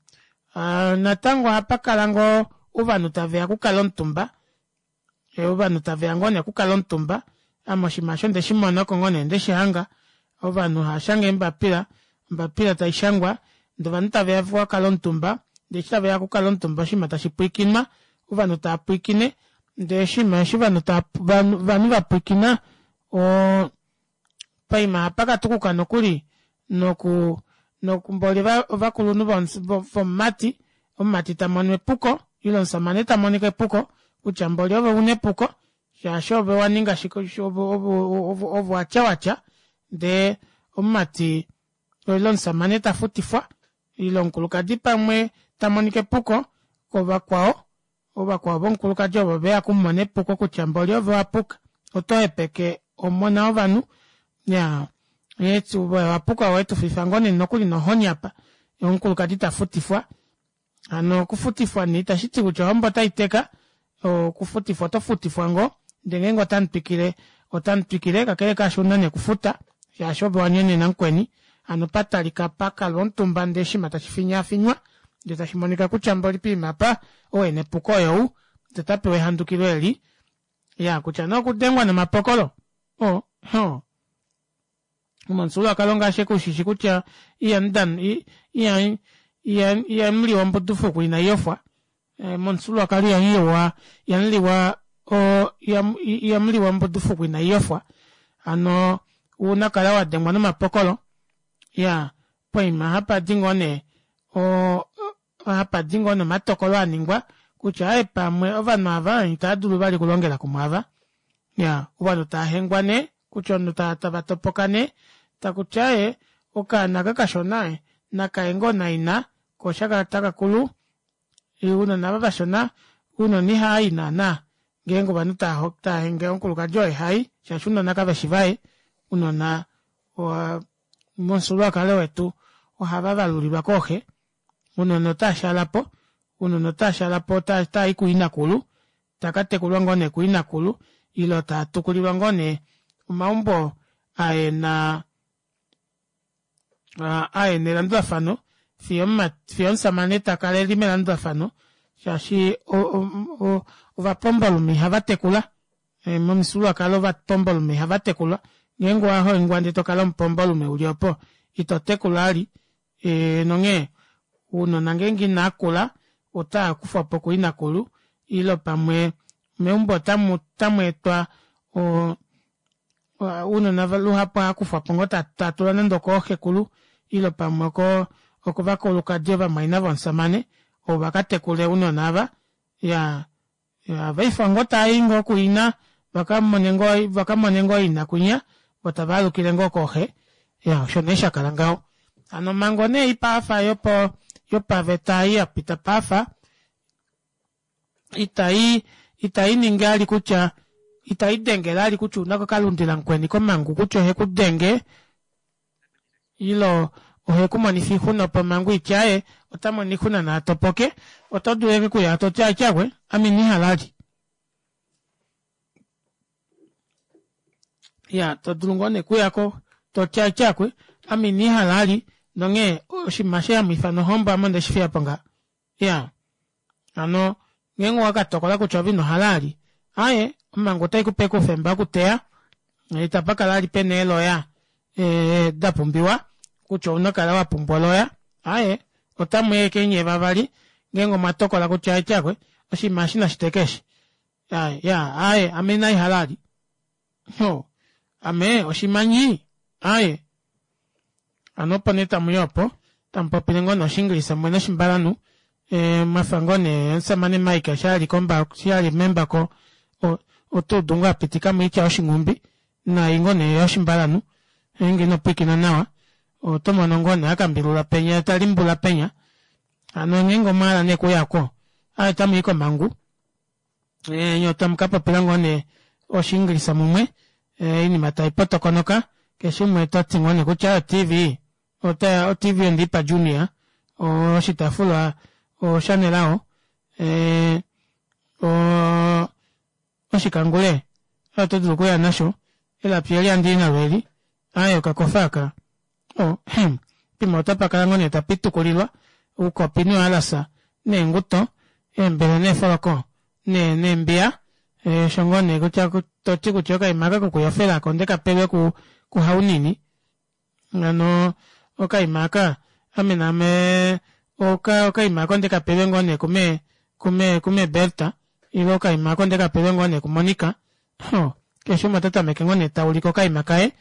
natango ohapa kala ngoo ovanhu taveya okukala omutumba ovanhu taveya ngoo nee okukala omutumba ame oshinima osho ndeshi mona oko ngoo nee ndeshi hanga ovanhu hava shange eembapila ombapila taishangwa ndee ovanhu taveya okukala omutumba ndee eshi taveya okukala omutumba oshinima tashi pwiikinwa ovanhu tava pwiikine ndee oshinima eshi ovanhu ovanhu vapwiikina oo paima ohapa katukuka nokuli noku nokumboli ovakulunhu vomumati omumati tamono epuko ile omusamane tamonika epuko kutya mboli ove una epuko shaashi ove waninga shike ove watya watya ndee omumati ile omusamane tafutifwa ile omukulukadi pamwe tamonika epuko kovakwao Ovakwao vomukulukadi ovo ve ya okumumona epuko kutya mboli ove wa puka, oto hepeke omona wovanhu. Ya, ove wa puka owe tu fifa ngoo nee nokuli nohoni apa. Omukulukadi ta futifwa. Hano okufutifwa nee itashi ti kutya ohombo otai teka, okufutifwa oto futifwa ngoo, ndee ngeenge otamu twikile, otamu twikile, kakele kaasho ouna nee okufuta shaashi ove wa nyonena mukweni. Hano pa talika pa kalwa omutumba ndee oshinima tashi finyaafinywa ndee tashi monika kutya mboli poima apa ou ena epuko oyou ndee ota pewa ehandukilo eli ya kutya nee okudengwa nomapokolo o ho momufyuululwakalo ngaashi ekushishi kutya ihamu ihamu liwa ombudufuku inai yofwa momufyuululwakalo ihamu liwa ihamu liwa ihamu liwa ombudufuku inai yofwa hano ouna kala wa dengwa nomapokolo ya poima hapa di ngoo nee hapa di ngoo nee omatokolo aningwa kutya aaye pamwe ovanhu ava itava dulu vali okulongela kumwe ava ya ovanhu tava hengwa nee kutya ovanhu tava topoka nee takuti aaye okaana aka kashona nakaye ngoo naina ko osha taka kulu ounona ava vashona ounona ihaayi naana ngeenge ovanhu tava henge omukulukadi oye hai shaashi ounona kaveshi vaye ounona momufyuululwakalo wetu ohava valulilwa kooxe ounona otava shaala po ounona otava shaala po otava i kuinakulu taka tekulwa ngoo nee kuinakulu ile taa tukulilwa ngoo nee omaumbo aena aena elandulafano fiyo fiyo omusamane takala eli melandulafano shaashi ovapombolume ihava tekula momufyuululwakalo ovapombolume ihava tekulwa ngeenge owahongwa ndee tokala omupombolume uli opo ito tekula vali nonghee ounona ngeenge inakula otaa kufwapo kuinakulu ile pamwe meumbo otamu etwa ounona luhapu ohava kufwapo ngoo tatulwa nande okooxekulu ile pamwe okovakulukadi ovamwaina vomusamane ovo vakatekule ounona ava iyaa ohavaifa ngoo taayi ngoo kuina vakamone ngoo ina kwinya. Vo tava alukile ngoo kooxe. Ya, osho nee sha kala ngaho. Hano omhango nee ei paafa yopo yopaveta ei ya pita paafa, itai itai ningi ali kutya itai dengele ali kutya ouna okukalundila mukweni komhangu kutya oheku denge ilo oheku monifa oixuna opo omhangu itye aaye ota mono oixuna naa topoke, oto dulu ashike okuya toti atyakwe ame ina ihala ali. Ya to dulu ngoo nee okuyako toti atyakwe ame ina ihala ali nonghee oshinima eshi hamu ifana ohombo ame ondeshi fiyapo ngaha. Iya, hano ngeenge owa ka tokola kutya ove ino hala ali, aaye, omhangu otai ku pe oufemba wokuteya, itapa kala ali pena eeloya da pumbiwa, kutya ouna okukala wa pumbwa oloya, aaye, otamu i ashike nyee vavali ngeenge omwa tokola kutya atyakwe, oshinima eshi nashi teke eshi. Aaye, ya, aaye, ame inai hala ali. Ho, ame oshimanyi, aaye. Hano opo nee tamu yi opo, tamu popile ngoo nee Oshiingilisa mumwe noshimbalanhu, e, mwafa ngoo nee omusamane Mike eshi a li komba, eshi a li membako, o, oto udu ngoo a pitika mo oitya yoshinghumbi, naai ngoo nee yoshimbalanhu, ngeenge ino pwilikina nawa, oto mono ngoo nee a kambilula penya ye ta limbula penya. Hano ngeenge omwa hala nee okuya ko, aaye otamu i komhangu. Nye otamu ka popila ngoo nee Oshiingilisa mumwe, oinima tai potokonoka, keshe umwe ota ti ngoo nee kutya oTV, ota, oTV onde i pa Junior, oshitaafula oshaNelao, o, oshikangule oto dulu okuya nasho, elapi eli handi i nalo eli, aaye okakofa aka, o, hem, pimwe otapa kala ngoo nee tapa itukulilwa oukopi nouhalasa neenguto, eembele neefoloko ne, neembiya, osho ngoo nee kutya to ti kutya okaima aka kokuyofela aka onde ka pelwe ku, kuHaunini. Hano okaima aka, ame naame oka, okaima aka onde ka pelwe ngoo nee kume, kume, kume Berta, ile okaima aka onde ka pelwe ngoo nee kuMonica. Ho, keshe umwe ota tameke ngoo nee ta ulike okaima kaye.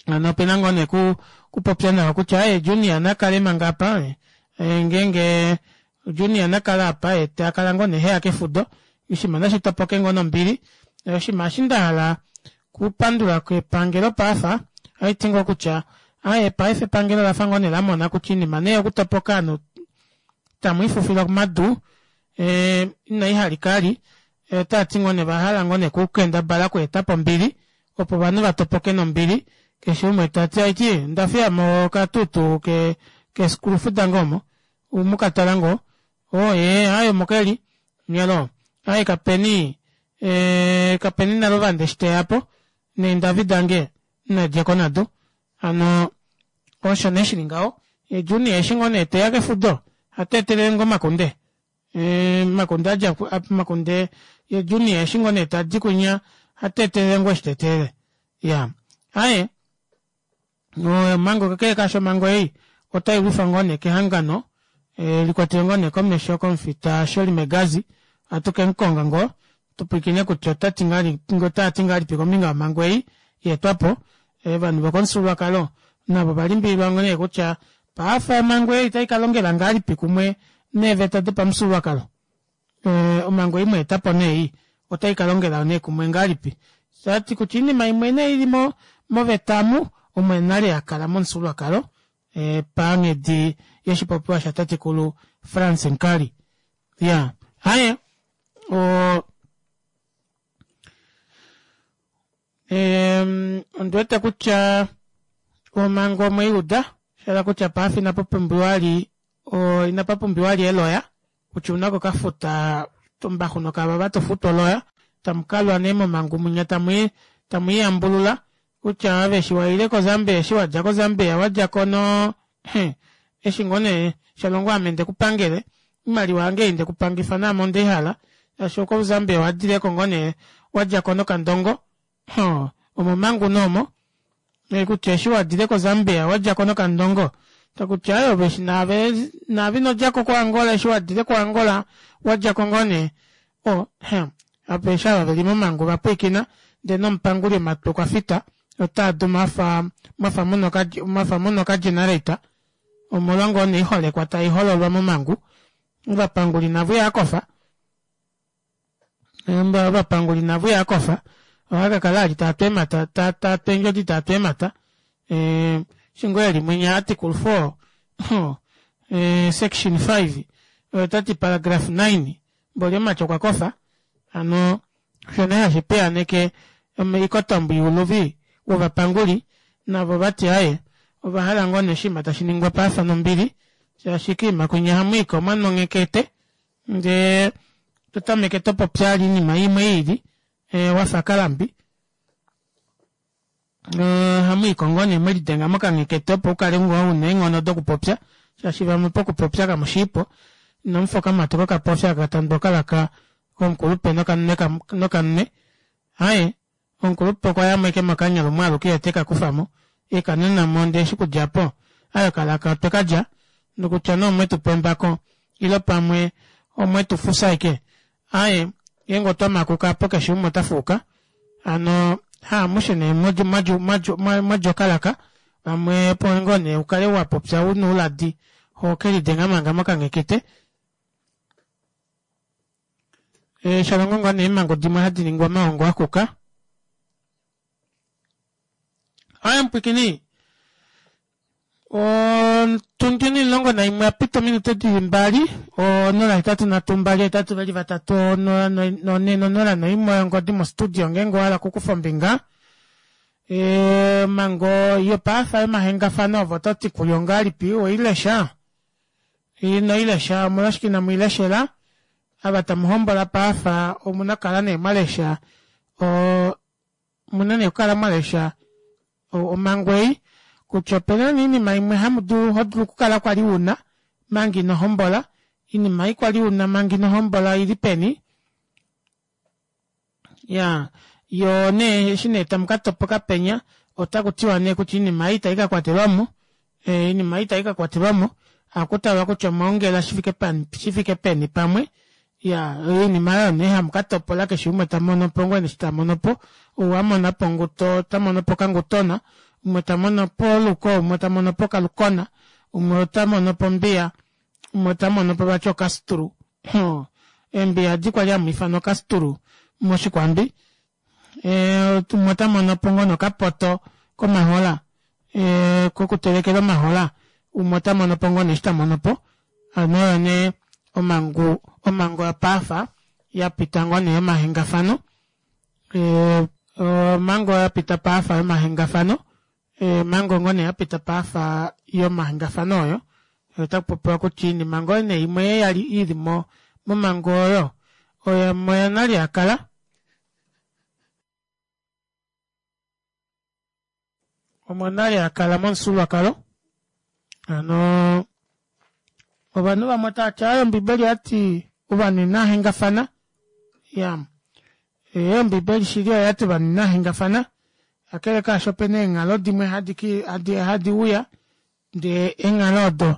Hano opena ngoo nee ku kupopya nawa kutya aye Junior na kale manga apa eh, ngeenge Junior na kale apa ye ta kala ngoo nee heya kefudo oshinima nashi topoke ngoo nombili. Oshinima eshi nda hala kupandula kepangelo paafa ohaiti ngoo kutya aye paife epangelo lafa ngoo nee lamona kutya oinima nee yokutopoka ovanhu tamu ifufila komadu eh, inai halika ali otava ti ngoo nee ovahala ngoo nee kukendabala okweetapo ombili opo ovanhu va topoke nombili keshe umwe ta ti aiti onda fiya mo okatutu ke kesikulufu dange omo mu ka tala ngoo oo ee aye omo keli nyalo aye kapeni ee kapeni naluvanda eshi teya po neendavi dange nadjeko nado hano osho nee shili ngaho ye Junior eshi ngoo nee teya kefudo hata etelele ngoo omakunde Makunde a dja Makunde ye Junior eshi ngoo nee tadi kwinya hata etelele ngoo eshi ta etelele. Ya. Aye. Omhango kakele kaasho omhango ei otai lwifa ngoo nee kehangano likwatelwe ngoo nee komesho komufita Shirley Megazi. Ohatu ke mu konga ngoo tu pwilikine kutya ota ti ngahelipi otava ti ngahelipi kombinga yomhango ei ya etwa po. Ovanhu vokomufyuululwakalo navo ova limbililwa ngoo nee kutya paafa omhango ei otai ka longela ngahelipi kumwe neeveta dopamufyuululwakalo. Omhango ei mwa eta po nee ei otai ka longela nee kumwe ngahelipi? Tava ti kutya oinima imwe nee ili mo moveta omu omo nale ya kala momufyuululwakalo panghedi yoshipopiwa shatatekulu Frans Enkali. Ya, haye o ondi wete kutya omhango omwe i uda, sha hala kutya paife inapa pumbiwa li inapa pumbiwa li eloya kutya ouna okukafuta ombaxu nokavava to futu oloya tamu kalwa nee momhangu munya tamu tamu iyambulula kutya ove eshi waile koZambia eshi wadja koZambia wadja ko no eshi ngoo nee shalongo ame nde ku pangele oimaliwa yange ei nde ku pangifa naame onde i hala shaashi okoZambia owa dileko ngoo nee wadja ko nokandongo omomhangu nee omo kutya eshi wa dile koZambia wadja ko nokandongo takutya aye ove eshi naave naave ino djako koAngola eshi wa dile koAngola wadja ko ngoo nee o apa eshi ava veli momhangu va pwilikina ndee nomupanguli omatwi okwa fita otaa du mwafa mwafa muna mwafa muna okagenerator omolwa ngoo nee oiholekwa tai hololwa momhangu ovapanguli navo ihava kofa ovapanguli navo ihava kofa. Ohaa ka kala ali taa tu eemhata, taa taa tu eendjodi taa tu eemhata. Eshi ngoo eli mwinya article 4 section 5 otati paragraph 9 mboli omumati okwa kofa. Hano osho nee hashi piyaaneke oikotombo youluvi wovapanguli navo vati aaye ovahala ngoo nee oshinima tashi ningwa paafa nombili shaashi koima kwinya hamuika omwa nonghekete ndee totameke topopi vali oinima imwe iili wafa kalambi. Ohamu i ko ngoo nee mwelidenga mokanghekete opo ukale ngoo una eenghono dokupopya shaashi vamwe pokupopya kamushiipo inamufa okamati kokapofi aka katandwa okalaka komukulupe nokanwe aaye omukulupe okwayamo ashike mokanya lumwe aluke yee tekakufamo ekananamo ndee eshi okudja aapo aaye okalaka otwekalya nokutya nee omwetupa embako ile pamwe omwetufufya ashike aaye ngeenge otwa makuka aapo keshe umwe otafuuka hano haamushe nee mwalya okalaka vamwe opo ngoo nee ukale wapopya una ouladi hokelidenga manga mokanghekete. Shalongo ngoo nee eemhango dimwe hadi ningwa omaongo akuka. Aaye mupwiikini otundi 11 yapita ominute dili 2 083 2 8 3 0 4 0 01 ongodi mo studio ngeenge owahala okukufa ombinga. Omhango yopaafa yomahengafano ove ototi kuyo ongahelipi oweilesha? Inoilesha omolwashike inamuileshela? Ava tamuhombola paafa omuna okukala nee mwalesha omuna nee okukala mwalesha omhango ei kutya opena nee oinima imwe hamudulu hodulu okukala kwali una manga ino hombola oinima ei kwali una manga ino hombola oili peni iyaa yoo nee eshi nee tamukatopoka penya otakutiwa nee kutya oinima ei itaika kwatelwamo oinima ei itaika kwatelwamo ohakutalwa kutya omwaongela shifike peni pamwe iyaa oinima oyo nee hamukatopola keshe umwe tamonopo ngoo nee eshi tamonopo ou amonapo onguto otamonopo okangutona umwe tamonopo oluko umwe tamonopo okalukona umwe otamonopo ombiya umwe otamonopo vati okastulu eembiya edi kwali hamu ifana okastulu moshikwambi umwe otamonopo ngoo nee okapoto komahola kokutelekela omahola umwe otamonopo ngoo nee eshi tamonopo hano oyo nee omangu omango yopaafa yapita ngoo nee yomahengafano omhango yapita paafa yomahengafano omhango ngoo nee yapita paafa yomahengafano oyo otakupopiwa kutya oinima ngoo nee imwe yali ili momhango oyo oyo nale yakala omo nale yakala momufyuululwakalo hano ovanhu vamwe otavati aaye ombibeli oyati ovanhu inahengafana iya ee ombibeli shili oyati ovanhu inahengafana kakele kaasho opena eenghalo dimwe hadi uya ndee eenghalo odo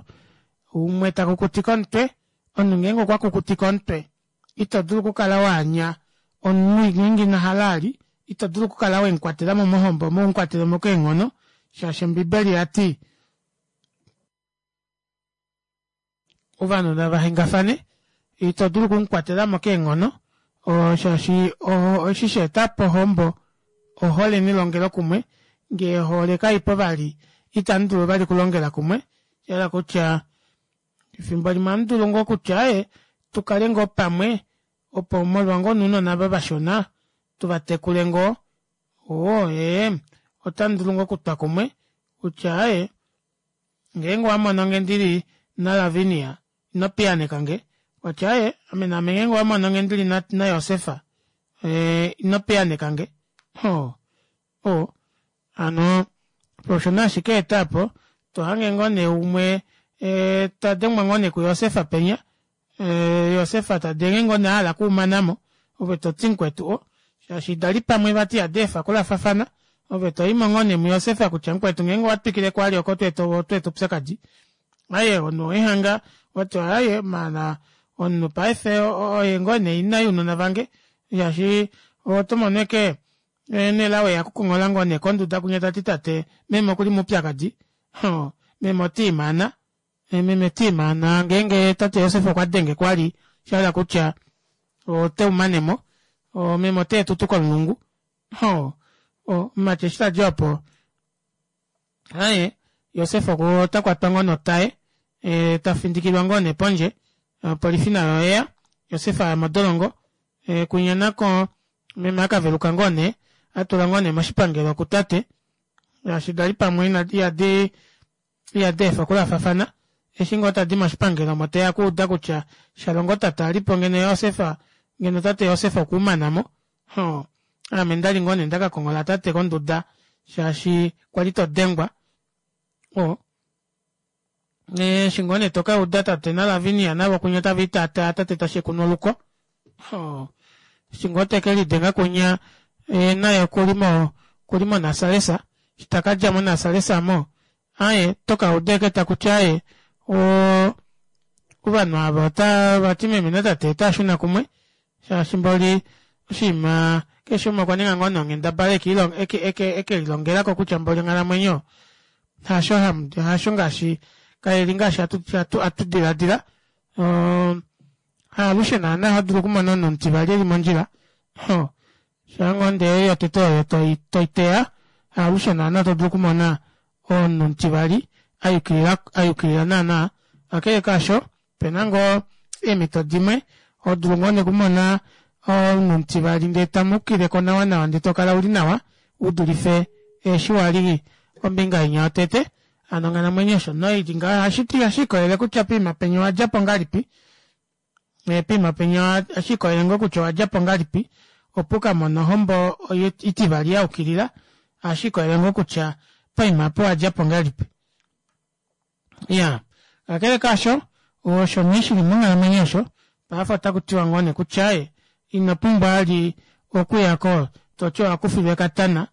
umwe takukutika omutwe omunhu ngeenge okwa kukutika omutwe ito dulu okukala waanya omunhu ngeenge ina hala ali ito dulu okukala wemukwatelamo mohombo omo umukwatelemo keenghono shaashi ombibeli oyati ovanhu nava hengafane ito dulu okumukwatelamo keenghono shaashi eshi shaetapo ohombo ohole nelongelokumwe ngee ohole kaipo vali itamu dulu vali okulongela kumwe shahala kutya efimbo limwe ohamudulu ngoo kutya aaye tukale ngoo pamwe opo molwa ngoo nounona ava vashona tuvatekule ngoo oo ee otamudulu ngoo okutwa kumwe kutya aaye ngeenge owamononge ndili naLavinia ino piyaaneka nge watya aaye ame naame ngeenge owamononge ndili naJosefa ino piyaaneka nge o hano osho nee ashike eta apo tohange ngoo nee umwe tadengwa ngoo nee kuJosefa penya Josefa tadenge ngoo nee ahala okuumanamo ove toti mukwetu o shaashi dali pamwe vati ihadi efa okulafafana ove toimo ngoo nee muJosefa kutya mukwetu ngeenge owatwikile kwali oko otweeta oupyakadi aaye omunhu owehanga wati aaye maala omunhu paife oye ngoo nee ina younona vange shaashi otomono ashike Nelao eya kukonghola ngoo nee konduda kunya tati tate meme okuli moupyakadi meme otiimaana meme tiimaana ngeenge tate Josef okwa denge kwali shahala kutya oteumanemo meme oteetutu komulungu. Ho, omumati eshi tadi opo aye Josef ota kwatwa ngoo notaye e, ta findikilwa ngoo nee pondje opolifi nayo oyeya Josef aya modolongo e, kwinya nako meme akaveluka ngoo nee atula ngoo nee moshipangelo kutate shaashi dali pamwe ihadi ihadi efa okulafafana eshi ngoo tadi moshipangelo omo teya kuuda kutya shalongo tate ali po ngeno Josef ngeno tate Josef okuumana mo ho ame ndali ngoo nee ndakakonghola tate konduda shaashi kwali todengwa o eshi ngoo nee tokauda tate naLavinia navo kunya tava itaataa tate tashekunwa oluko eshi ngoo teke lidenga kunya e, naye okuli mo okuli monasalesa eshi takadja monasalesa mo aye tokauda eke takuti aye o ovanhu ava otavati meme natate otaashuna kumwe shaashi mboli oshinima keshe umwe okwa ninga ngoo nee onghendabala eke lilongelako kutya mboli onghalamwenyo hasho hasho ngaashi kaili ngaashi atu diladila haalushe naana hodulu okumona omunhu omutivali eli mondjila shaa ngoo ndee yotete oyo toiteya haalushe naana todulu okumona omunhu omutivali ayukilila naana kakele kaasho opena ngoo eemhito dimwe hodulu ngoo nee okumona omunhu omutivali ndee tamukileko nawa nawa ndee tokala uli nawa udulife eshi wali kombinga inya yotete hano onghalamwenyo osho noili ngaho ohashiti ohashiikolele kutya poima penya owadjapo ngahelipi poima penya ohashiikolele ngoo kutya owadjapo ngahelipi opo ukamone ohombo itivali yaukilila ohashiikolele ngoo kutya poima apo owadjapo ngahelipi iya kakele kaasho osho nee shili monghalamwenyo osho paife otaku tiwa ngoo nee kutya e ino pumbwa vali okuyako toti owakufilwa ekatana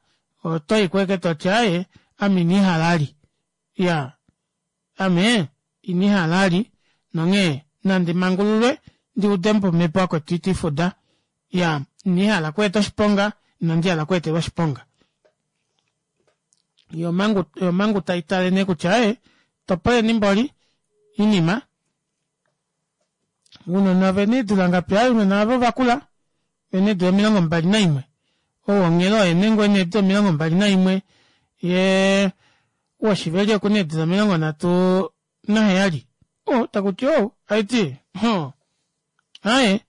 otoyi kweke toti aaye ame iniihala ali iya ame iniihala ali nonghee nandi mangululwe ndi ude omhepo yakwetu itifuda iya iniihala okweeta oshiponga inandi hala okweetelwa oshiponga yo omhangu tai tale nee kutya aaye topoleni mboli inima ounona ovena eedula ngapi aaye ounona ava ovakula vena eedula 21 ou wonghelo oye nee ngoo ena eedula 21 yee woshiveli okuna eedula 37 o takuti ou aiti ho aaye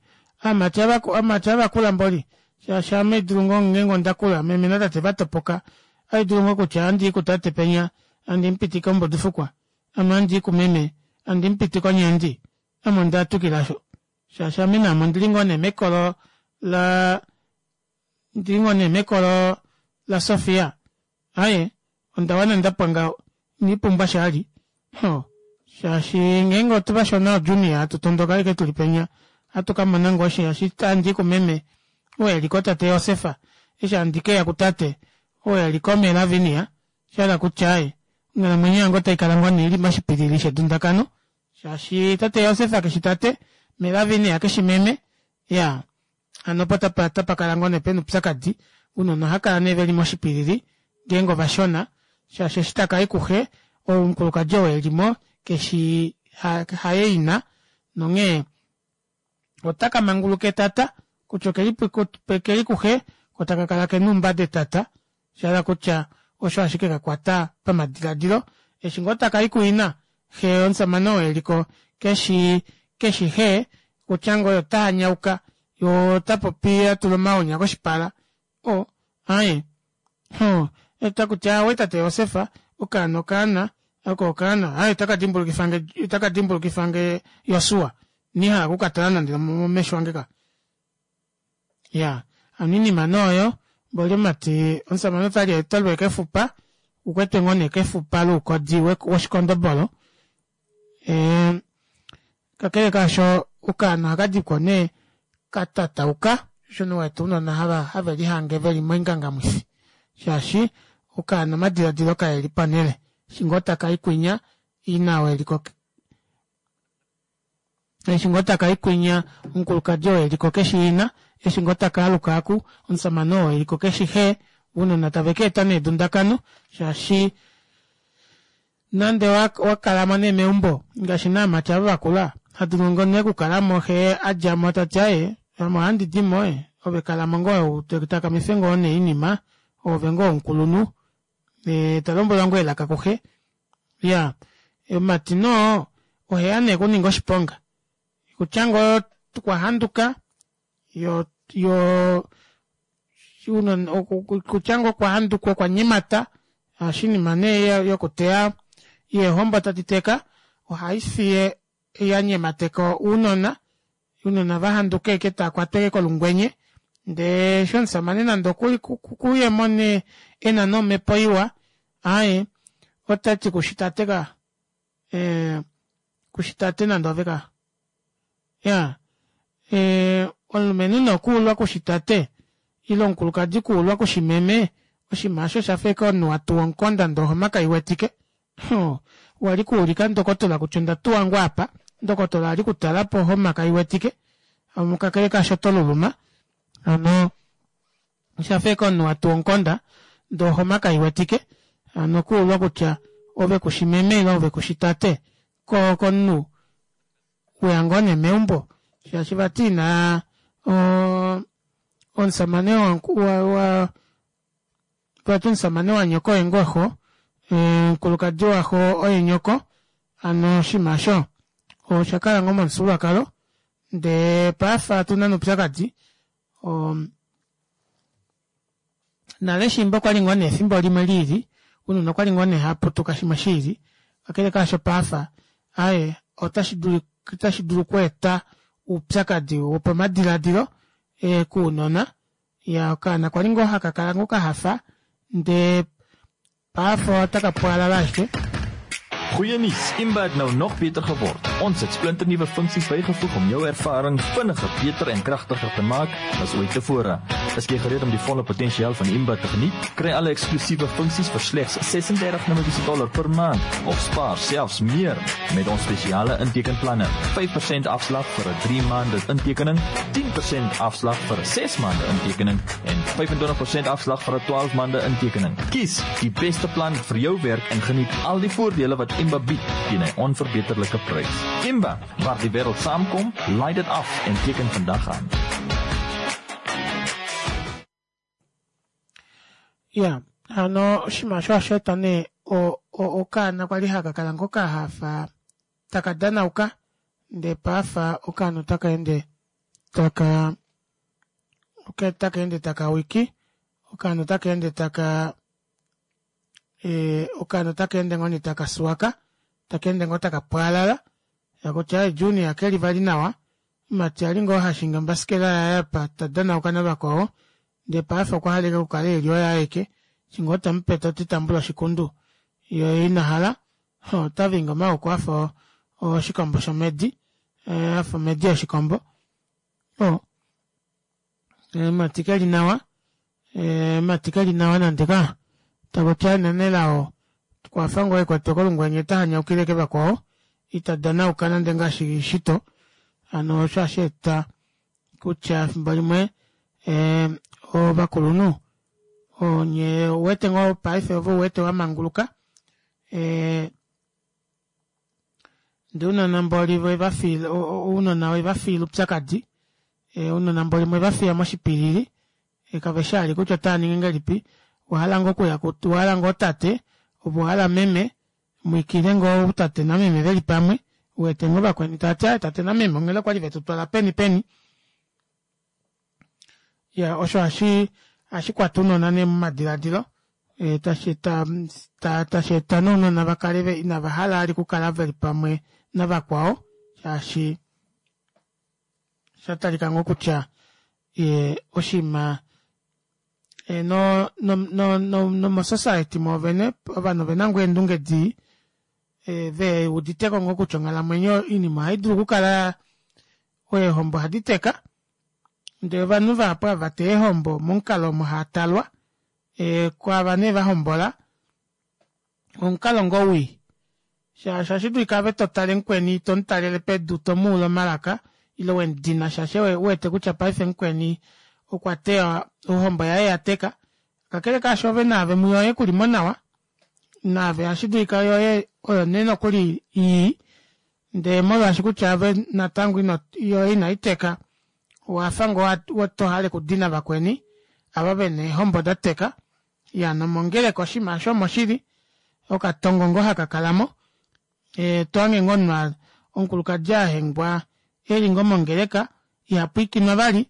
aamati aamati avakula mboli shaashi ame haidulu ngoo ngeenge ondakula meme natate vatopoka ohaidulu ngoo kutya ohandii kutate penya handi mupitike ombudifukwa ame ohandii kumeme handi mupitike onyandi ame onda twikilasho shaashi ame naame ondili ngoo nee mekolo la ndili ngoo nee mekolo laSofia aaye onda wana ndapwa ngaho iniipumbwa shali ho shaashi ngeenge otu vashona oJunior hatu tondoka ashike tuli penya ohatu kamona ngoo shaashi handii kumeme ou eliko tate Josefa eshi handi keya kutate ou eliko mee Lavinia shahala kutya aaye onghalamwenyo yange otaikala ngoo nee ili moshipilili shedundakano shaashi tate Josef keshi tate mee Lavinia keshi meme ya hano opo tapa kala ngoo nee pena oupyakadi ounona ohakala nee veli moshipilili ngeenge ovashona shaashi eshi takayi kuxe omukulukadi oo elimo keshi haye ina nonghee otaka manguluka etata kutya okeli kuxe ko taka kala kena oumbada etata shahala kutya osho ashike kakwata pamadiladilo eshi ngoo takayi kuina xe omushamane oo eliko keshi keshi xe kutya ngoo ota hanyauka yoo ota popi atula omaunya koshipala o aaye ho takuti aawe tate Josef okaana okaana oko okaana aaye otaka dimbulukifange otaka dimbulukifange Josua inihala okukatala nande momesho ange ka ya hano oinima nee oyo mboli omumati omushamane otali otalulwe kefupa ukwetwe ngoo nee kefupa loukodi woshikondobolo e, kakele kaasho okaana ohakadiko nee katatauka osho nee wete ounona hava have lihange veli moingangamwifi shaashi okaana omadiladilo kaeli panele eshi ngoo takai kwinya ina oo eliko eshi ngoo takai kwinya omukulukadi oo eliko keshi ina eshi ngoo takaaluka aku omushamane oo eliko keshi xe ounona tave keeta nee edundakano shaashi nande wakalamo nee meumbo ngaashi naamati ava vakula hadulu ngoo nee okukalamo xe adjamo tati aaye ame ohandi dimo e. Ove kalamo ngoo takamife ngoo nee oinima, oove ngoo omukulunhu. Talombwelwa ngoo elaka kuxe. Iyaa omumati nee oheya nee okuninga oshiponga kutya ngoo okwahanduka yoo kutya ngoo okwahanduka okwanyemata shaashi oinima nee yokuteya yeehombo tadi teka ohaifiye yanyemateka ounona, ounona vahanduka ashike taakwatwa ashike kolungwenye ndee eshi omushamane nande okuli okuyemo nee ena nee omepo iwa aaye otati kushi tate kaa kushi tate nande oove kaa iyaa omulumenhu nee okuulwa kushi tate ile omukulukadi okuulwa kushi meme oshinima aasho oshafa ashike omunhu watuwa omukonda ndee ohoma kaiwetike wali kuulika ndokotola kutya onda tuwa ngoo apa ndokotola ali kutala po ohoma kaiwetike kakele kaasho toluluma hano oshafa ashike omunhu watuwa omukonda ndee ohoma kaiwetike hano okuulwa kutya ove kushi meme ile ove kushi tate koo komunhu weya ngoo nee meumbo shaashi vati ina omushamane wa vati omushamane wanyoko oye ngoo xo omukulukadi waxo oye nyoko hano oshinima aasho oshakala ngoo momufyuululwakalo ndee paife otuna nee oupyakadi nale shiimba okwali ngoo nee efimbo limwe liili ounona okwali ngoo nee haaputuka shimwe shiili kakele kaasho paife aaye otashi dulu okweeta oupyakadi wopamadilaadilo kounona Iyaa okaana kwali ngoo haka kala ngoo kahafa ndee paife otaka pwaalala ashike. Goeie nuus, Imba het nou nog beter geword. Ons het splinternuwe funksies bygevoeg om jou ervaring vinniger, beter en kragtiger te maak as ooit tevore. Is jy gereed om die volle potensiaal van Imba te geniet? Kry alle eksklusiewe funksies vir slegs 36 Namibiese dollar per maand of spaar selfs meer met ons spesiale intekenplanne. 5% afslag vir 'n 3 maande intekening, 10% afslag vir 'n 6 maande intekening en 25% afslag vir 'n 12 maande intekening. Kies die beste plan vir jou werk en geniet al die voordele wat Imba bied teen 'n onverbeterlike prys. Imba, waar die wêreld saamkom, laai dit af en teken vandag aan. Ya, hano oshinima osho ohashi eta nee okaana kwali haka kala ngoo kahafa taka danauka ndee paife okaana otaka ende taka otaka ende taka wiki okaana otaka ende taka okaana otaka ende ngoo nee taka suwaka taka ende ngoo taka pwaalala takutya junior keli vali nawa Mumati ali ngoo hashingi ombasikela yaye apa ta danauka navakwao ndee paife okwa hala ashike okukala eli oye aeke eshi ngoo tamupe tati tambula oshikundu yee ina hala ota vingi omaoko afa oshikombo shomedi afa omedi yoshikombo mumati keli nawa mumati keli nawa nande ka takutya nelao okwafa ngoo ekwatwe kolungwenye ota hanyaukile ashike vakwao ita danauka nande ngaashi shito hano osho hashi eta kutya efimbo limwe ovakulunhu onye ouwete ngoo paife ove uwete wamanguluka ndee ounona mboli wevafiila ounona wevafiila oupyakadi ounona mboli mwevafiya moshipilili kaveshi vali kutya otaaningi ngahelipi owahala ngoo okuya owahala ngoo tate ove owahala meme mwiikile ngoo tate nameme veli pamwe uwete ngoo vakweni taati aaye tate nameme onghela okwali vetu twala peni peni iya osho hashi hashi kwata ounona nee momadilaadilo tashi tashi eta nee ounona vakale inava hala vali okukala veli pamwe navakwao shaashi osha talika ngoo kutya oshinima no no no nomosociety mwoovene ovanhu ovena ngoo eendunge dii veuditeko ngoo kutya onghalamwenyo oinima ohaidulu okukala eehombo ohadi teka ndee ovanhu vahapu ava vateya eehombo momukalo omo haatalwa kwaava nee vahombola omukalo ngoo wii shaashi ohashi dulika ove totale mukweni tomutalele pedu tomuule omalaka ile wemudina shaashi uwete kutya paife mukweni okwa teya ohombo yaye yateka kakele kaasho ove naave muyoye kulimo nawa naave ohashi dulika yoye oyo nee nokuli ii ndee molwaashi kutya ove natango ino yoye inaiteka. Owafa ngoo to hale okudina vakweni ava vena eehombo da teka. Ya nomongeleka oshinima aasho omo shili okatongo ngoo haka kalamo. Tohange ngoo omunhu omukulukadi ahengwa eli ngoo mongeleka ihapwiikinwa vali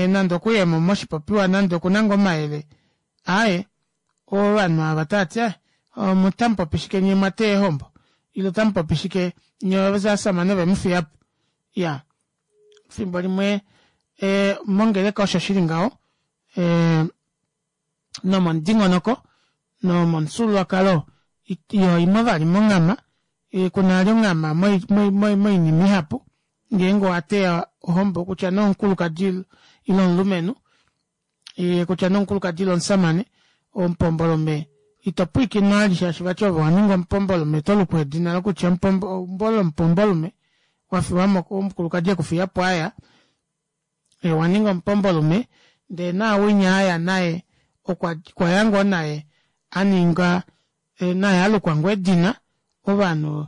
nande okuyemo moshipopiwa nande okuna ngoo omayele aaye ovanhu ava tavati otamupopi shike nyee mwateya eehombo ile otamupopi shike nyee ovashamane ovemufiyapo iyaa efimbo limwe mongeleka osho shili ngaho nomomudingonoko nomomufyuululwakalo iho vali monghama kuna vali onghama moinima ihapu ngeenge owateya ohombo kutya nee omukulukadi ile omulumenhu kutya nee omukulukadi ile omushamane omupombolume ito pwiikinwa vali shaashi vati ove owaninga omupombolume oto lukwa edina lokutya eumbo lomupombolume wafiwamo omukulukadi ekufiyapo aya owaninga omupombolume ndee naawinya aya naye okwaya ngoo naye aninga naye alukwa ngoo edina ovanhu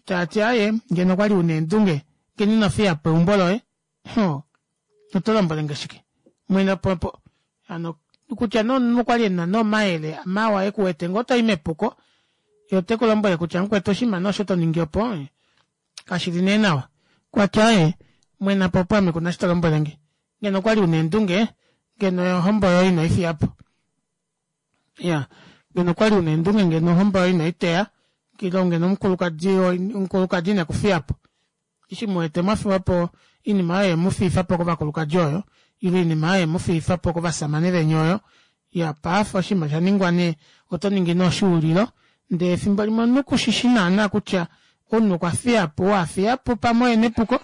tavati aaye ngeno okwali una eendunge ngeno ino fiyapo eumbo loye hoo oto lombwelenge shike mwene po hano kutya nee omunhu okwali ena nee omayele mawa ekuwete ngoo toyi mepuko ye oteku lombwele kutya mukwetu oshinima nee osho toningi opo kashili nee nawa okwati aaye mwenapo opo ame kuna eshi tolombwelenge ngeno okwali una eendunge ngeno ohombo yoye ino ifiyapo iya ngeno okwali una eendunge ngeno ohombo yoye ino iteya ile ngeno omukulukadi omukulukadi ine kufiyapo eshi muwete mwafiwapo oinima oyo yemufiifapo kovakulukadi oyo ile oinima oyo yemufiifapo kovashamane veni oyo iya paife oshinima shaningwa nee oto ningi nee oshuulilo ndee efimbo limwe omunhu kushishi naana kutya omunhu okwa fiyapo ou afiyapo pamwe oye nepuko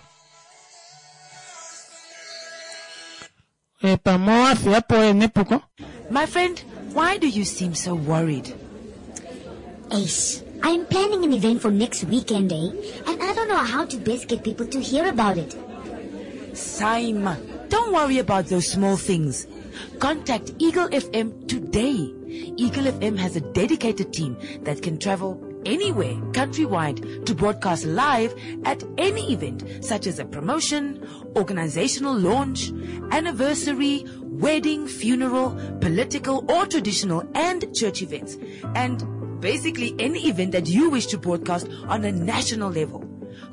pamwe ou afiyapo oye nepuko. My friend, why do you seem so worried? Ace, I'm planning an event for next weekend, eh? And I don't know how to best get people to hear about it. Saima, don't worry about those small things. Contact Eagle FM today. Eagle FM has a dedicated team that can travel anywhere countrywide to broadcast live at any event such as a promotion, organizational launch, anniversary, wedding, funeral, political or traditional and church events. And basically any event that you wish to broadcast on a national level.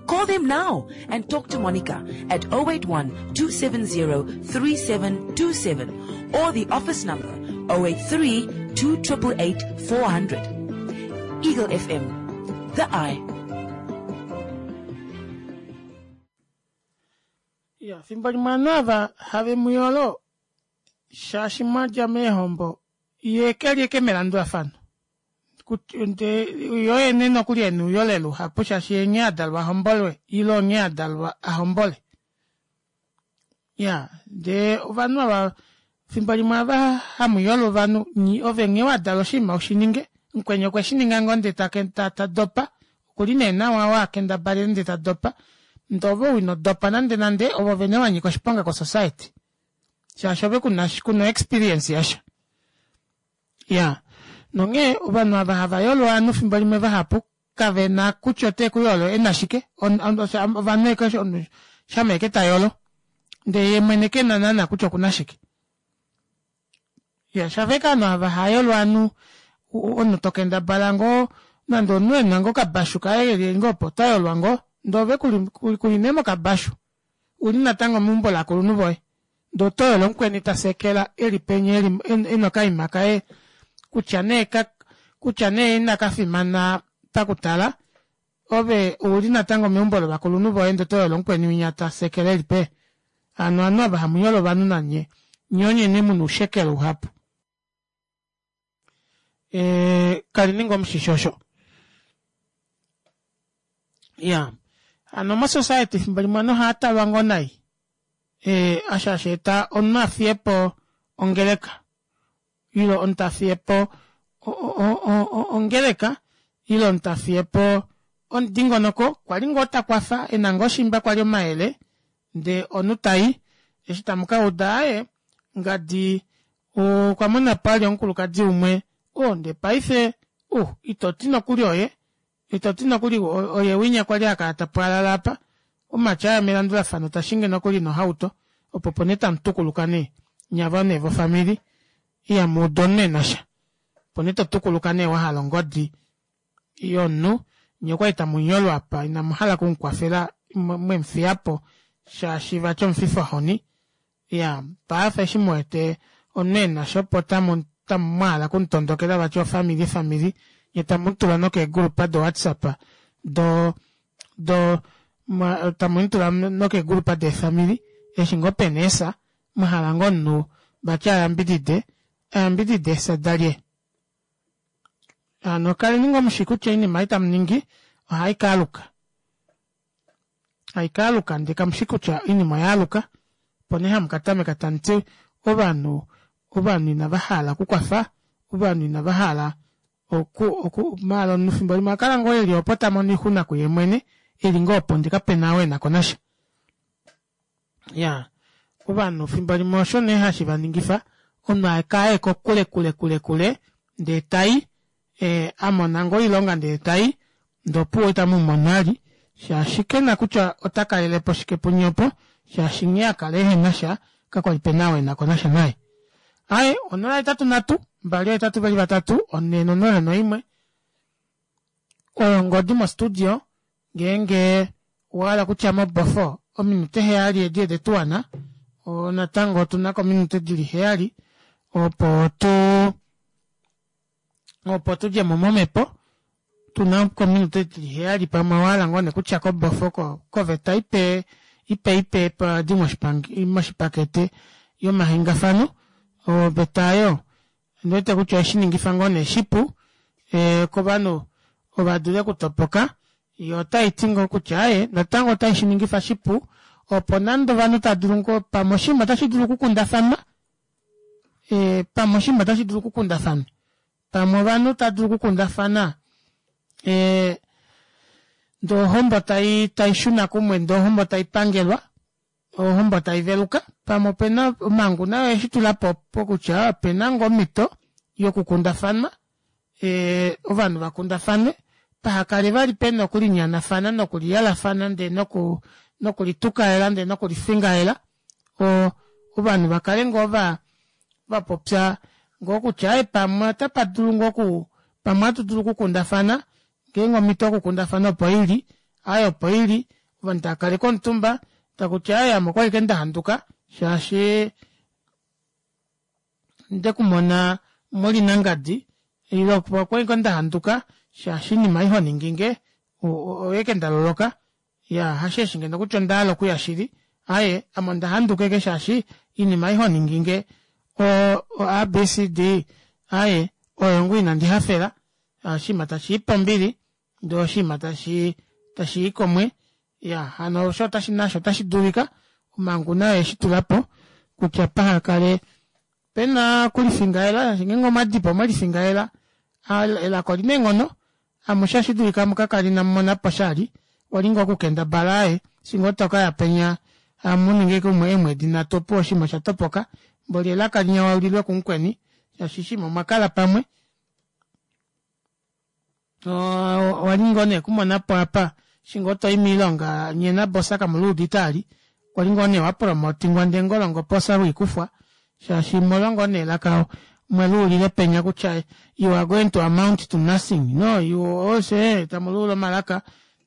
Call them now and talk to Monica at 081-270-3727 or the office number 083-2888-400. Eagle FM, the eye. Ya, fimbo limwe ovanhu ava have mu yolo shaashi mwadja meehombo ye keli eke melandulafano yo yene nokuli ena ouyole luhapu shaashi ye nghee adalwa ahombolwe ile onghee adalwa ahombole ya ndee ovanhu ava fimbo limwe ava hamu yolo ovanhu ove nghee wadalwa oshinima ushininge mukweni okwe shininga ngoo ndee ta dopa okuli nee nawa oo akendabalele ndee ta dopa ndee ove ou ino dopa nande nande ove vene wanyika oshiponga ko society shaashi ove kuna kuna experience yasha ya nonghee ovanhu ava hava yolo ovanhu fimbo limwe vahapu kavena kutya ote ku yolo ena shike ovanhu shama eke ta yolo ndee ye mwene kena naana kutya okuna shike ya shafeka ovanhu ava hayolo ovanhu omunhu tokendabala ngoo nande omunhu ena ngoo okabashu kaye keli ngoo opo ota yolwa ngoo ndee ove kuli nee mokabashu uli natango meumbo lakulunhu voye ndee oto yolo mukweni tasekela eli penya eli ena okaima kaye kutya nee kutya nee inakafimana pakutala ove ouli natango meumbo lovakulunhu voye ndee oto yolo mukweni winya tasekela eli pee hano ovanhu ava hamu yolo ovanhu nanye nye onyene muna oushekelo uhapu kali ninga omushisho osho ya hano mosociety efimbo limwe ovanhu ohava talwa ngoo nai osho hashi eta omunhu afiyepo ongeleka ile omunhu tafiyepo ongeleka ile omunhu tafiyepo omudingonoko kwali ngoo takwafa ena ngoo shimba kwali omayele ndee omunhu tai eshi tamu kauda aaye ngadi okwa mona pali omukulukadi umwe oo ndee paife itoti nokuli oye itoti nokuli oye winya kwali hakala tapwaalala apa. Omumati aya melandulafano tashingi nokuli nohauto opo opo nee tamutukuluka nee nye ava nee vofamili ihamuudu omunhu enasha opo nee totukuluka nee wahala ongodi yomunhu nyee okwali tamunyolo apa inamuhala okumukwafela mwemufiyapo shaashi vati omufifohoni Iyaa paife eshi muwete omunhu enasha opo tamu mwahala okumutondokela vati ofamili famili nye tamutula nokeegulupa do whatsapp do do tamumutula nokeegulupa deefamili eshi ngoo pena eefya mwahala ngoo omunhu vati ayambidide ayambidide eefya dalye hano kaleni ngoo mushi kutya oinima ei tamuningi ohaikaaluka haikaaluka ndee kamushi kutya oinima oyaaluka opo nee hamu katameka tamuti ovanhu ovanhu inava hala okukwafa ovanhu inava hala oku oku maala omunhu fimbo limwe okakala ngoo eli opo tamono oixuna kuye mwene eli ngoo opo ndee kapena ou enako nasha ya ovanhu fimbo limwe osho nee hashi vaningifa omunhu akaye kokule kule kule kule ndee tai e, a mona ngoo oilonga ndee tai ndee opuwo itamu mu mono vali shaashi kena kutya ota kalelepo shike punye opo shaashi nghee a kala ehena sha kakwali pena ou enako nasha naye. Aaye 083 283 401 oyo ongodi mostudio ngeenge owa hala kutya mobofo ominute heyali edi ede tu wana natango otuna ko ominute dili heyali opo tu opo tudje mo momhepo tuna kominute dili heyali pamwe owa hala ngoo nee kutya kobofo koveta ipe ipe ipe padi moshipakete yomahengafano oveta oyo ondi wete kutya oyeshi ningifa ngoo nee shipu e, kovanhu ova dule okutopoka yo otai ti ngoo kutya aye natango otai shi ningifa shipu opo nande ovanhu tava dulu ngoo pamwe oshinima otashi dulu okukundafanwa e, pamwe oshinima otashi dulu okukundafanwa pamwe ovanhu tava dulu okukundafana e, ndee ohombo tai tai shuna kumwe ndee ohombo tai pangelwa ohombo tai veluka pamwe opena omhangu nayo oyeshi tula po pokutya opena ngoo omhito yokukundafanwa e, ovanhu vakundafane pahakale vali pena okulinyanafana nokuliyalafana ndee noku nokulitukaela ndee nokulifingaela o ovanhu vakale ngoo va vapopya ngoo kutya aye pamwe otapa dulu ngoo ku pamwe ohatu dulu okukundafana ngeenge omhito yokukundafana opo ili aye opo ili ovanhu tava kaleke omutumba takutya aye ame okwali ke ndahanduka shaashi ndekumona muli nangadi ile okwali ngoo ndahanduka shaashi oinima ei honinginge oyeke ndaloloka ya hasheshi ngeno kutya ondahala okuya shili aye ame ondahanduka eke shaashi oinima ei honinginge o, o abcd aye oyo ngoo inandi hafela oshinima tashi i pombili ndee oshinima tashi tashi i komwe ya hano osho otashi nasho otashi dulika omhangu nayo yeshi tula po kutya paha kale pena okulifingaela shaashi ngeenge omwadipo omwelifingaela elaka olina eenghono amushe ohashi dulika mukakale inamu mona po shali wali ngoo okukendabala aye eshi ngoo tokaya penya amuninge ashike umwe eemwedi nhatu opuwo oshinima osha topoka mboli elaka linya waulilwe kumukweni shaashi oshinima omwa kala pamwe owali ngoo nee kumona po apa eshi ngoo toyi miilonga nye nabosa kamuluudite ali kwali ngoo nee wapromotingwa ndee ngolongo posa lwiikufwa shaashi molwa ngoo nee elaka mweluulile penya kutya you are going to amount to nothing no you also eh, tamuluula omalaka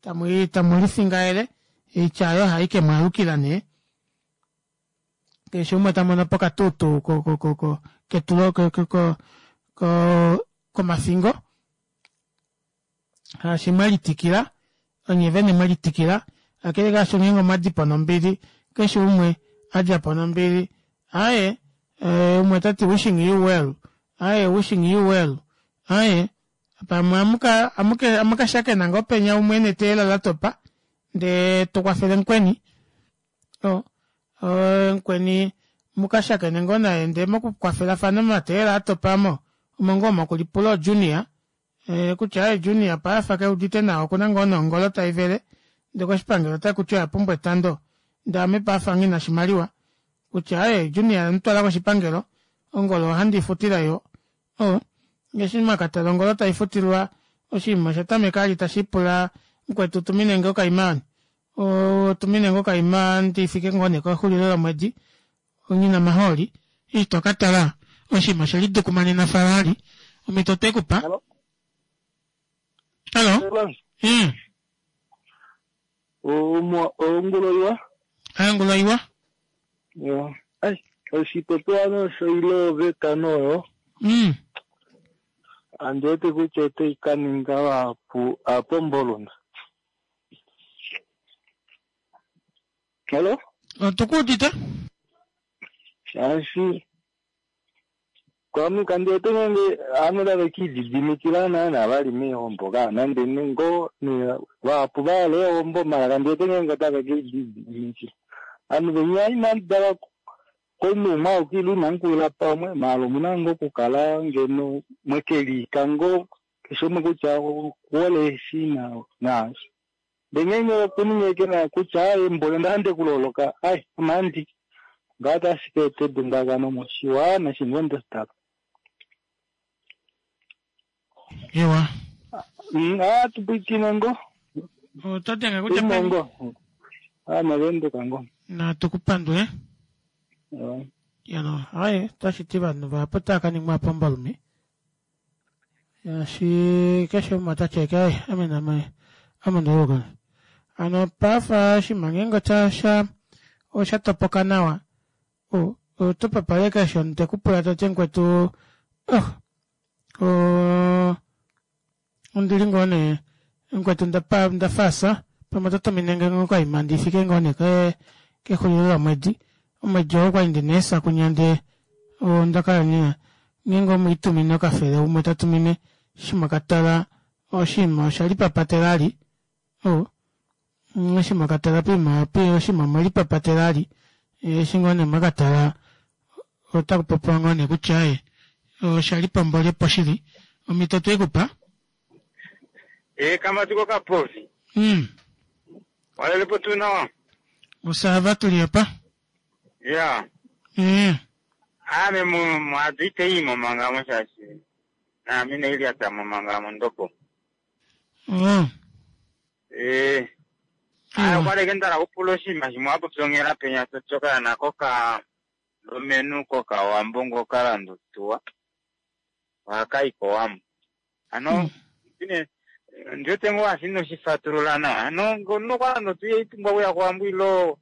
tamu tamulifingaele oitya oyo ohai ke mwaalukila nee keshe umwe ta mono po okatuutu ko ko ko ko ketulo ko ko ko ko komafingo haashi mwelitikila onye vene mwelitikila kakele kaasho ngeenge omwa di po nombili keshe umwe a dja po nombili aaye eh, umwe ta ti wishing you well aaye wishing you well aaye pamwe amuka amuke amukashakena ngoo penya umwe neteela la topa ndee to kwafele mukweni o mukweni mukashakene ngoo naye ndee mokukwafelafana momateela atopa mo omo ngoo mokulipula ojunior e, kutya aye junior paife keudite nawa okuna ngoo nongolo tai vele ndee koshipangelo ota kuti oya pumbwa etando ndee ame paife nghina oshimaliwa kutya aye junior mutwala koshipangelo ongolo ohandi ifutila yo o ngeshi mwakatala ongolo taifutilwa oshinima osha tameka ali tashi pula mukwetu tumine nge okaimani. Otumine ngoo okaima ndifike ngoo nee kexulilo lomwedi onyina omahooli eshi tokatala oshinima oshelidukumanena falali omhito otwekupa. Hallo. Ongula iwa. Ongula iwa. Ai, oshipopiwa nosho ile oveta noyo. Andi wete kutya otai ka ninga vahapu aapomboluna. Hello? Otukuudite? Shaashi kwame kandi wete nenge ovanhu tave kiididimikila naana vali meehombo kaa nande ngoo vahapu vahala eehombo mala kandi wete ngeenge otave kiididimikila. Ovanhu venya inamu dala komunhu umwe auke ile inamu kulila pamwe maala omuna ngoo okukala ngeno mwekeliika ngoo keshe umwe kutya okuhole eshi naashi. Ndee ngeenge okuninga ashike na kutya aaye mboli onda hala ndikuloloka ai amandi ngaa otashi ka eta edundakano moshiwana shingondo stop. Ewa. Tupwikine ngoo. Oto denge kutya peni? Ngoo. Navenduka ngoo. Natu kupandule. Yano, aye, otashi ti ovanhu vahapu otava ka ningwa pombalume. Shaashi keshe umwe ota ti ashike aye, ame name ame onda Hano pafa oshinima ngeenge osha osha topoka nawa, oto papale keshe omunhu tekupula tati mukwetu oh ondili ngoo nee mukwetu ndafasa pamwe oto tuminenge ngoo okaima ndifike ngoo nee kexulilo lomwedi. Omwedi oo okwali ndina eesakunya ndee onda kala ndina ngeenge omwiitumine okafele umwe tatumine eshi mwakatala oshinima osha lipapatela ali eshi mwakatala poima oshinima omwelipapatela ali eshi ngoo nee mwakatala otakupopiwa ngoo nee kutya aaye osha lipombolye po shili omhito tweikupa. Kamati kokapofi. Walelepo tuu nawa? Osava tuli apa. Ya. Ame mwadu ite imo mangamo shaashi naame nailyata momangamo ndopo. Okwali ke ndala kupula oshinima shimwe wapopya onghela penya toti okaana koka lomenu kokawambo ngo kalandutuwa ohakayi kowambo. Ano ndiwete ngoo ashi inoshifatulula nawa. Ano ngono kwalandutuwa ihaipumbwa okuya kowambo ilo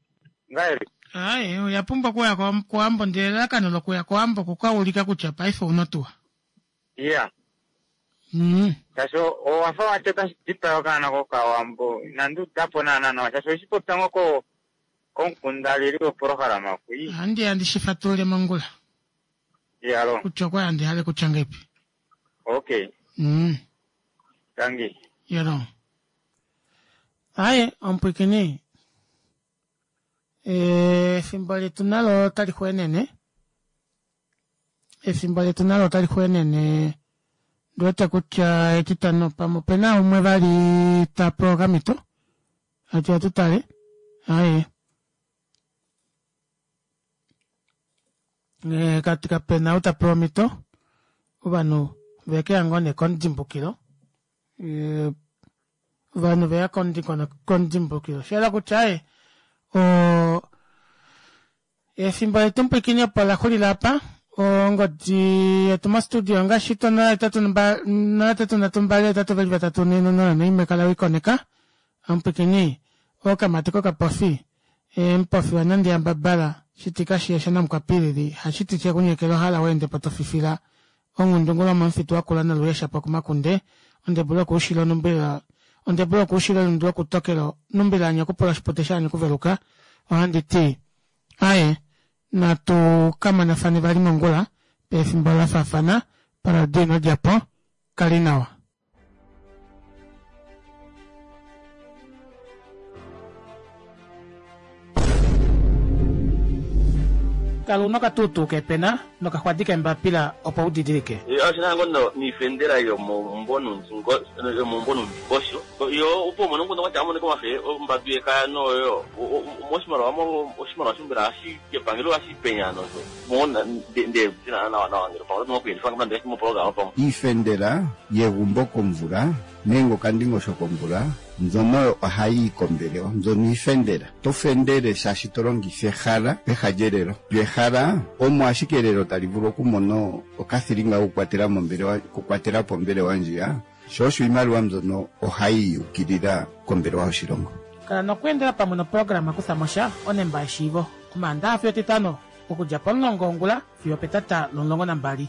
ngahelipi? Aaye, oya pumbwa okuya kowambo ndele elalakano lokuya kowambo okukaulika kutya paife ouna otuwa. Iya. Shaashi owafa wati otashi dipaya okaana kokawambo inandi udapo naana nawa shaashi oweshi popya ngoo komukundalili wopolohalama kui. Ohandi ya ndi shifatulule mongula. Iyalo. Kutya okwali handi hale kutya ngeipi. Okay. Tangi. Iyalo. Aaye, omupwikini. Efimbo letu nalo otali xweenene. Efimbo letu nalo otali xweenene. Ndiwete kutya etitano pamwe opena umwe vali ta pewa okamhito. Ati atutale. Aaye. Kapena ou ta pewa omhito. Ovanhu vekeya ngoo nee komudimbukilo. Ovanhu veya komudimbukilo. Osha kutya aye efimbo letu mupwikini opo la xulila apa. Ongodi yetu mostudio ongaashi to 083 032 8 4 0 kala wikoneka. Omupwikini okamati kokapofi emupofi wanandi yambabala shitika shiyesha namukwapilili hashiti shekunyekela ohala weende po tofifila onghundungu lomomufitu wakula noluyesha po kumakunde ondebula okuushila onumbila ondebula okuushila elundu lokutokelo numbila anya okupula oshipute shaanya okuveluka. Ohandi ti aye natu kamonafane vali mongula pefimbo la faafana paradio ino djapo kali nawa. Kala una okatuutuu kepena nokaxwadi kembapila opo u didilike. Oshina ngoo niifendela yomombonundingosho yo opo umone omukundu kwatya amonike omafe ombadu yekaya noyo moshimaliwa oshimaliwa shimbela hashi kepangelo hashi penya nosho Iifendela yegumbo komvula nenge okandingosho kombula, mbyono oyo ohayi yi kombelewa. Mbyono iifendela. To fendele shaashi to longitha ehala peha lyelelo. Lyo ehala omo ashike elelo tali vulu okumona okathilinga kokukwatela mo ombelewa, okukwatela po ombelewa ndjiya, sho osho iimaliwa mbyono ohayi yi yuukilila kombelewa yoshilongo. Kala nokweendela pamwe noprograma Kuthamosha onemba yeshiivo, Omaandaxa fiyo Etitano okudja pomulongo wongula fiyo opetata lomulongo nambali.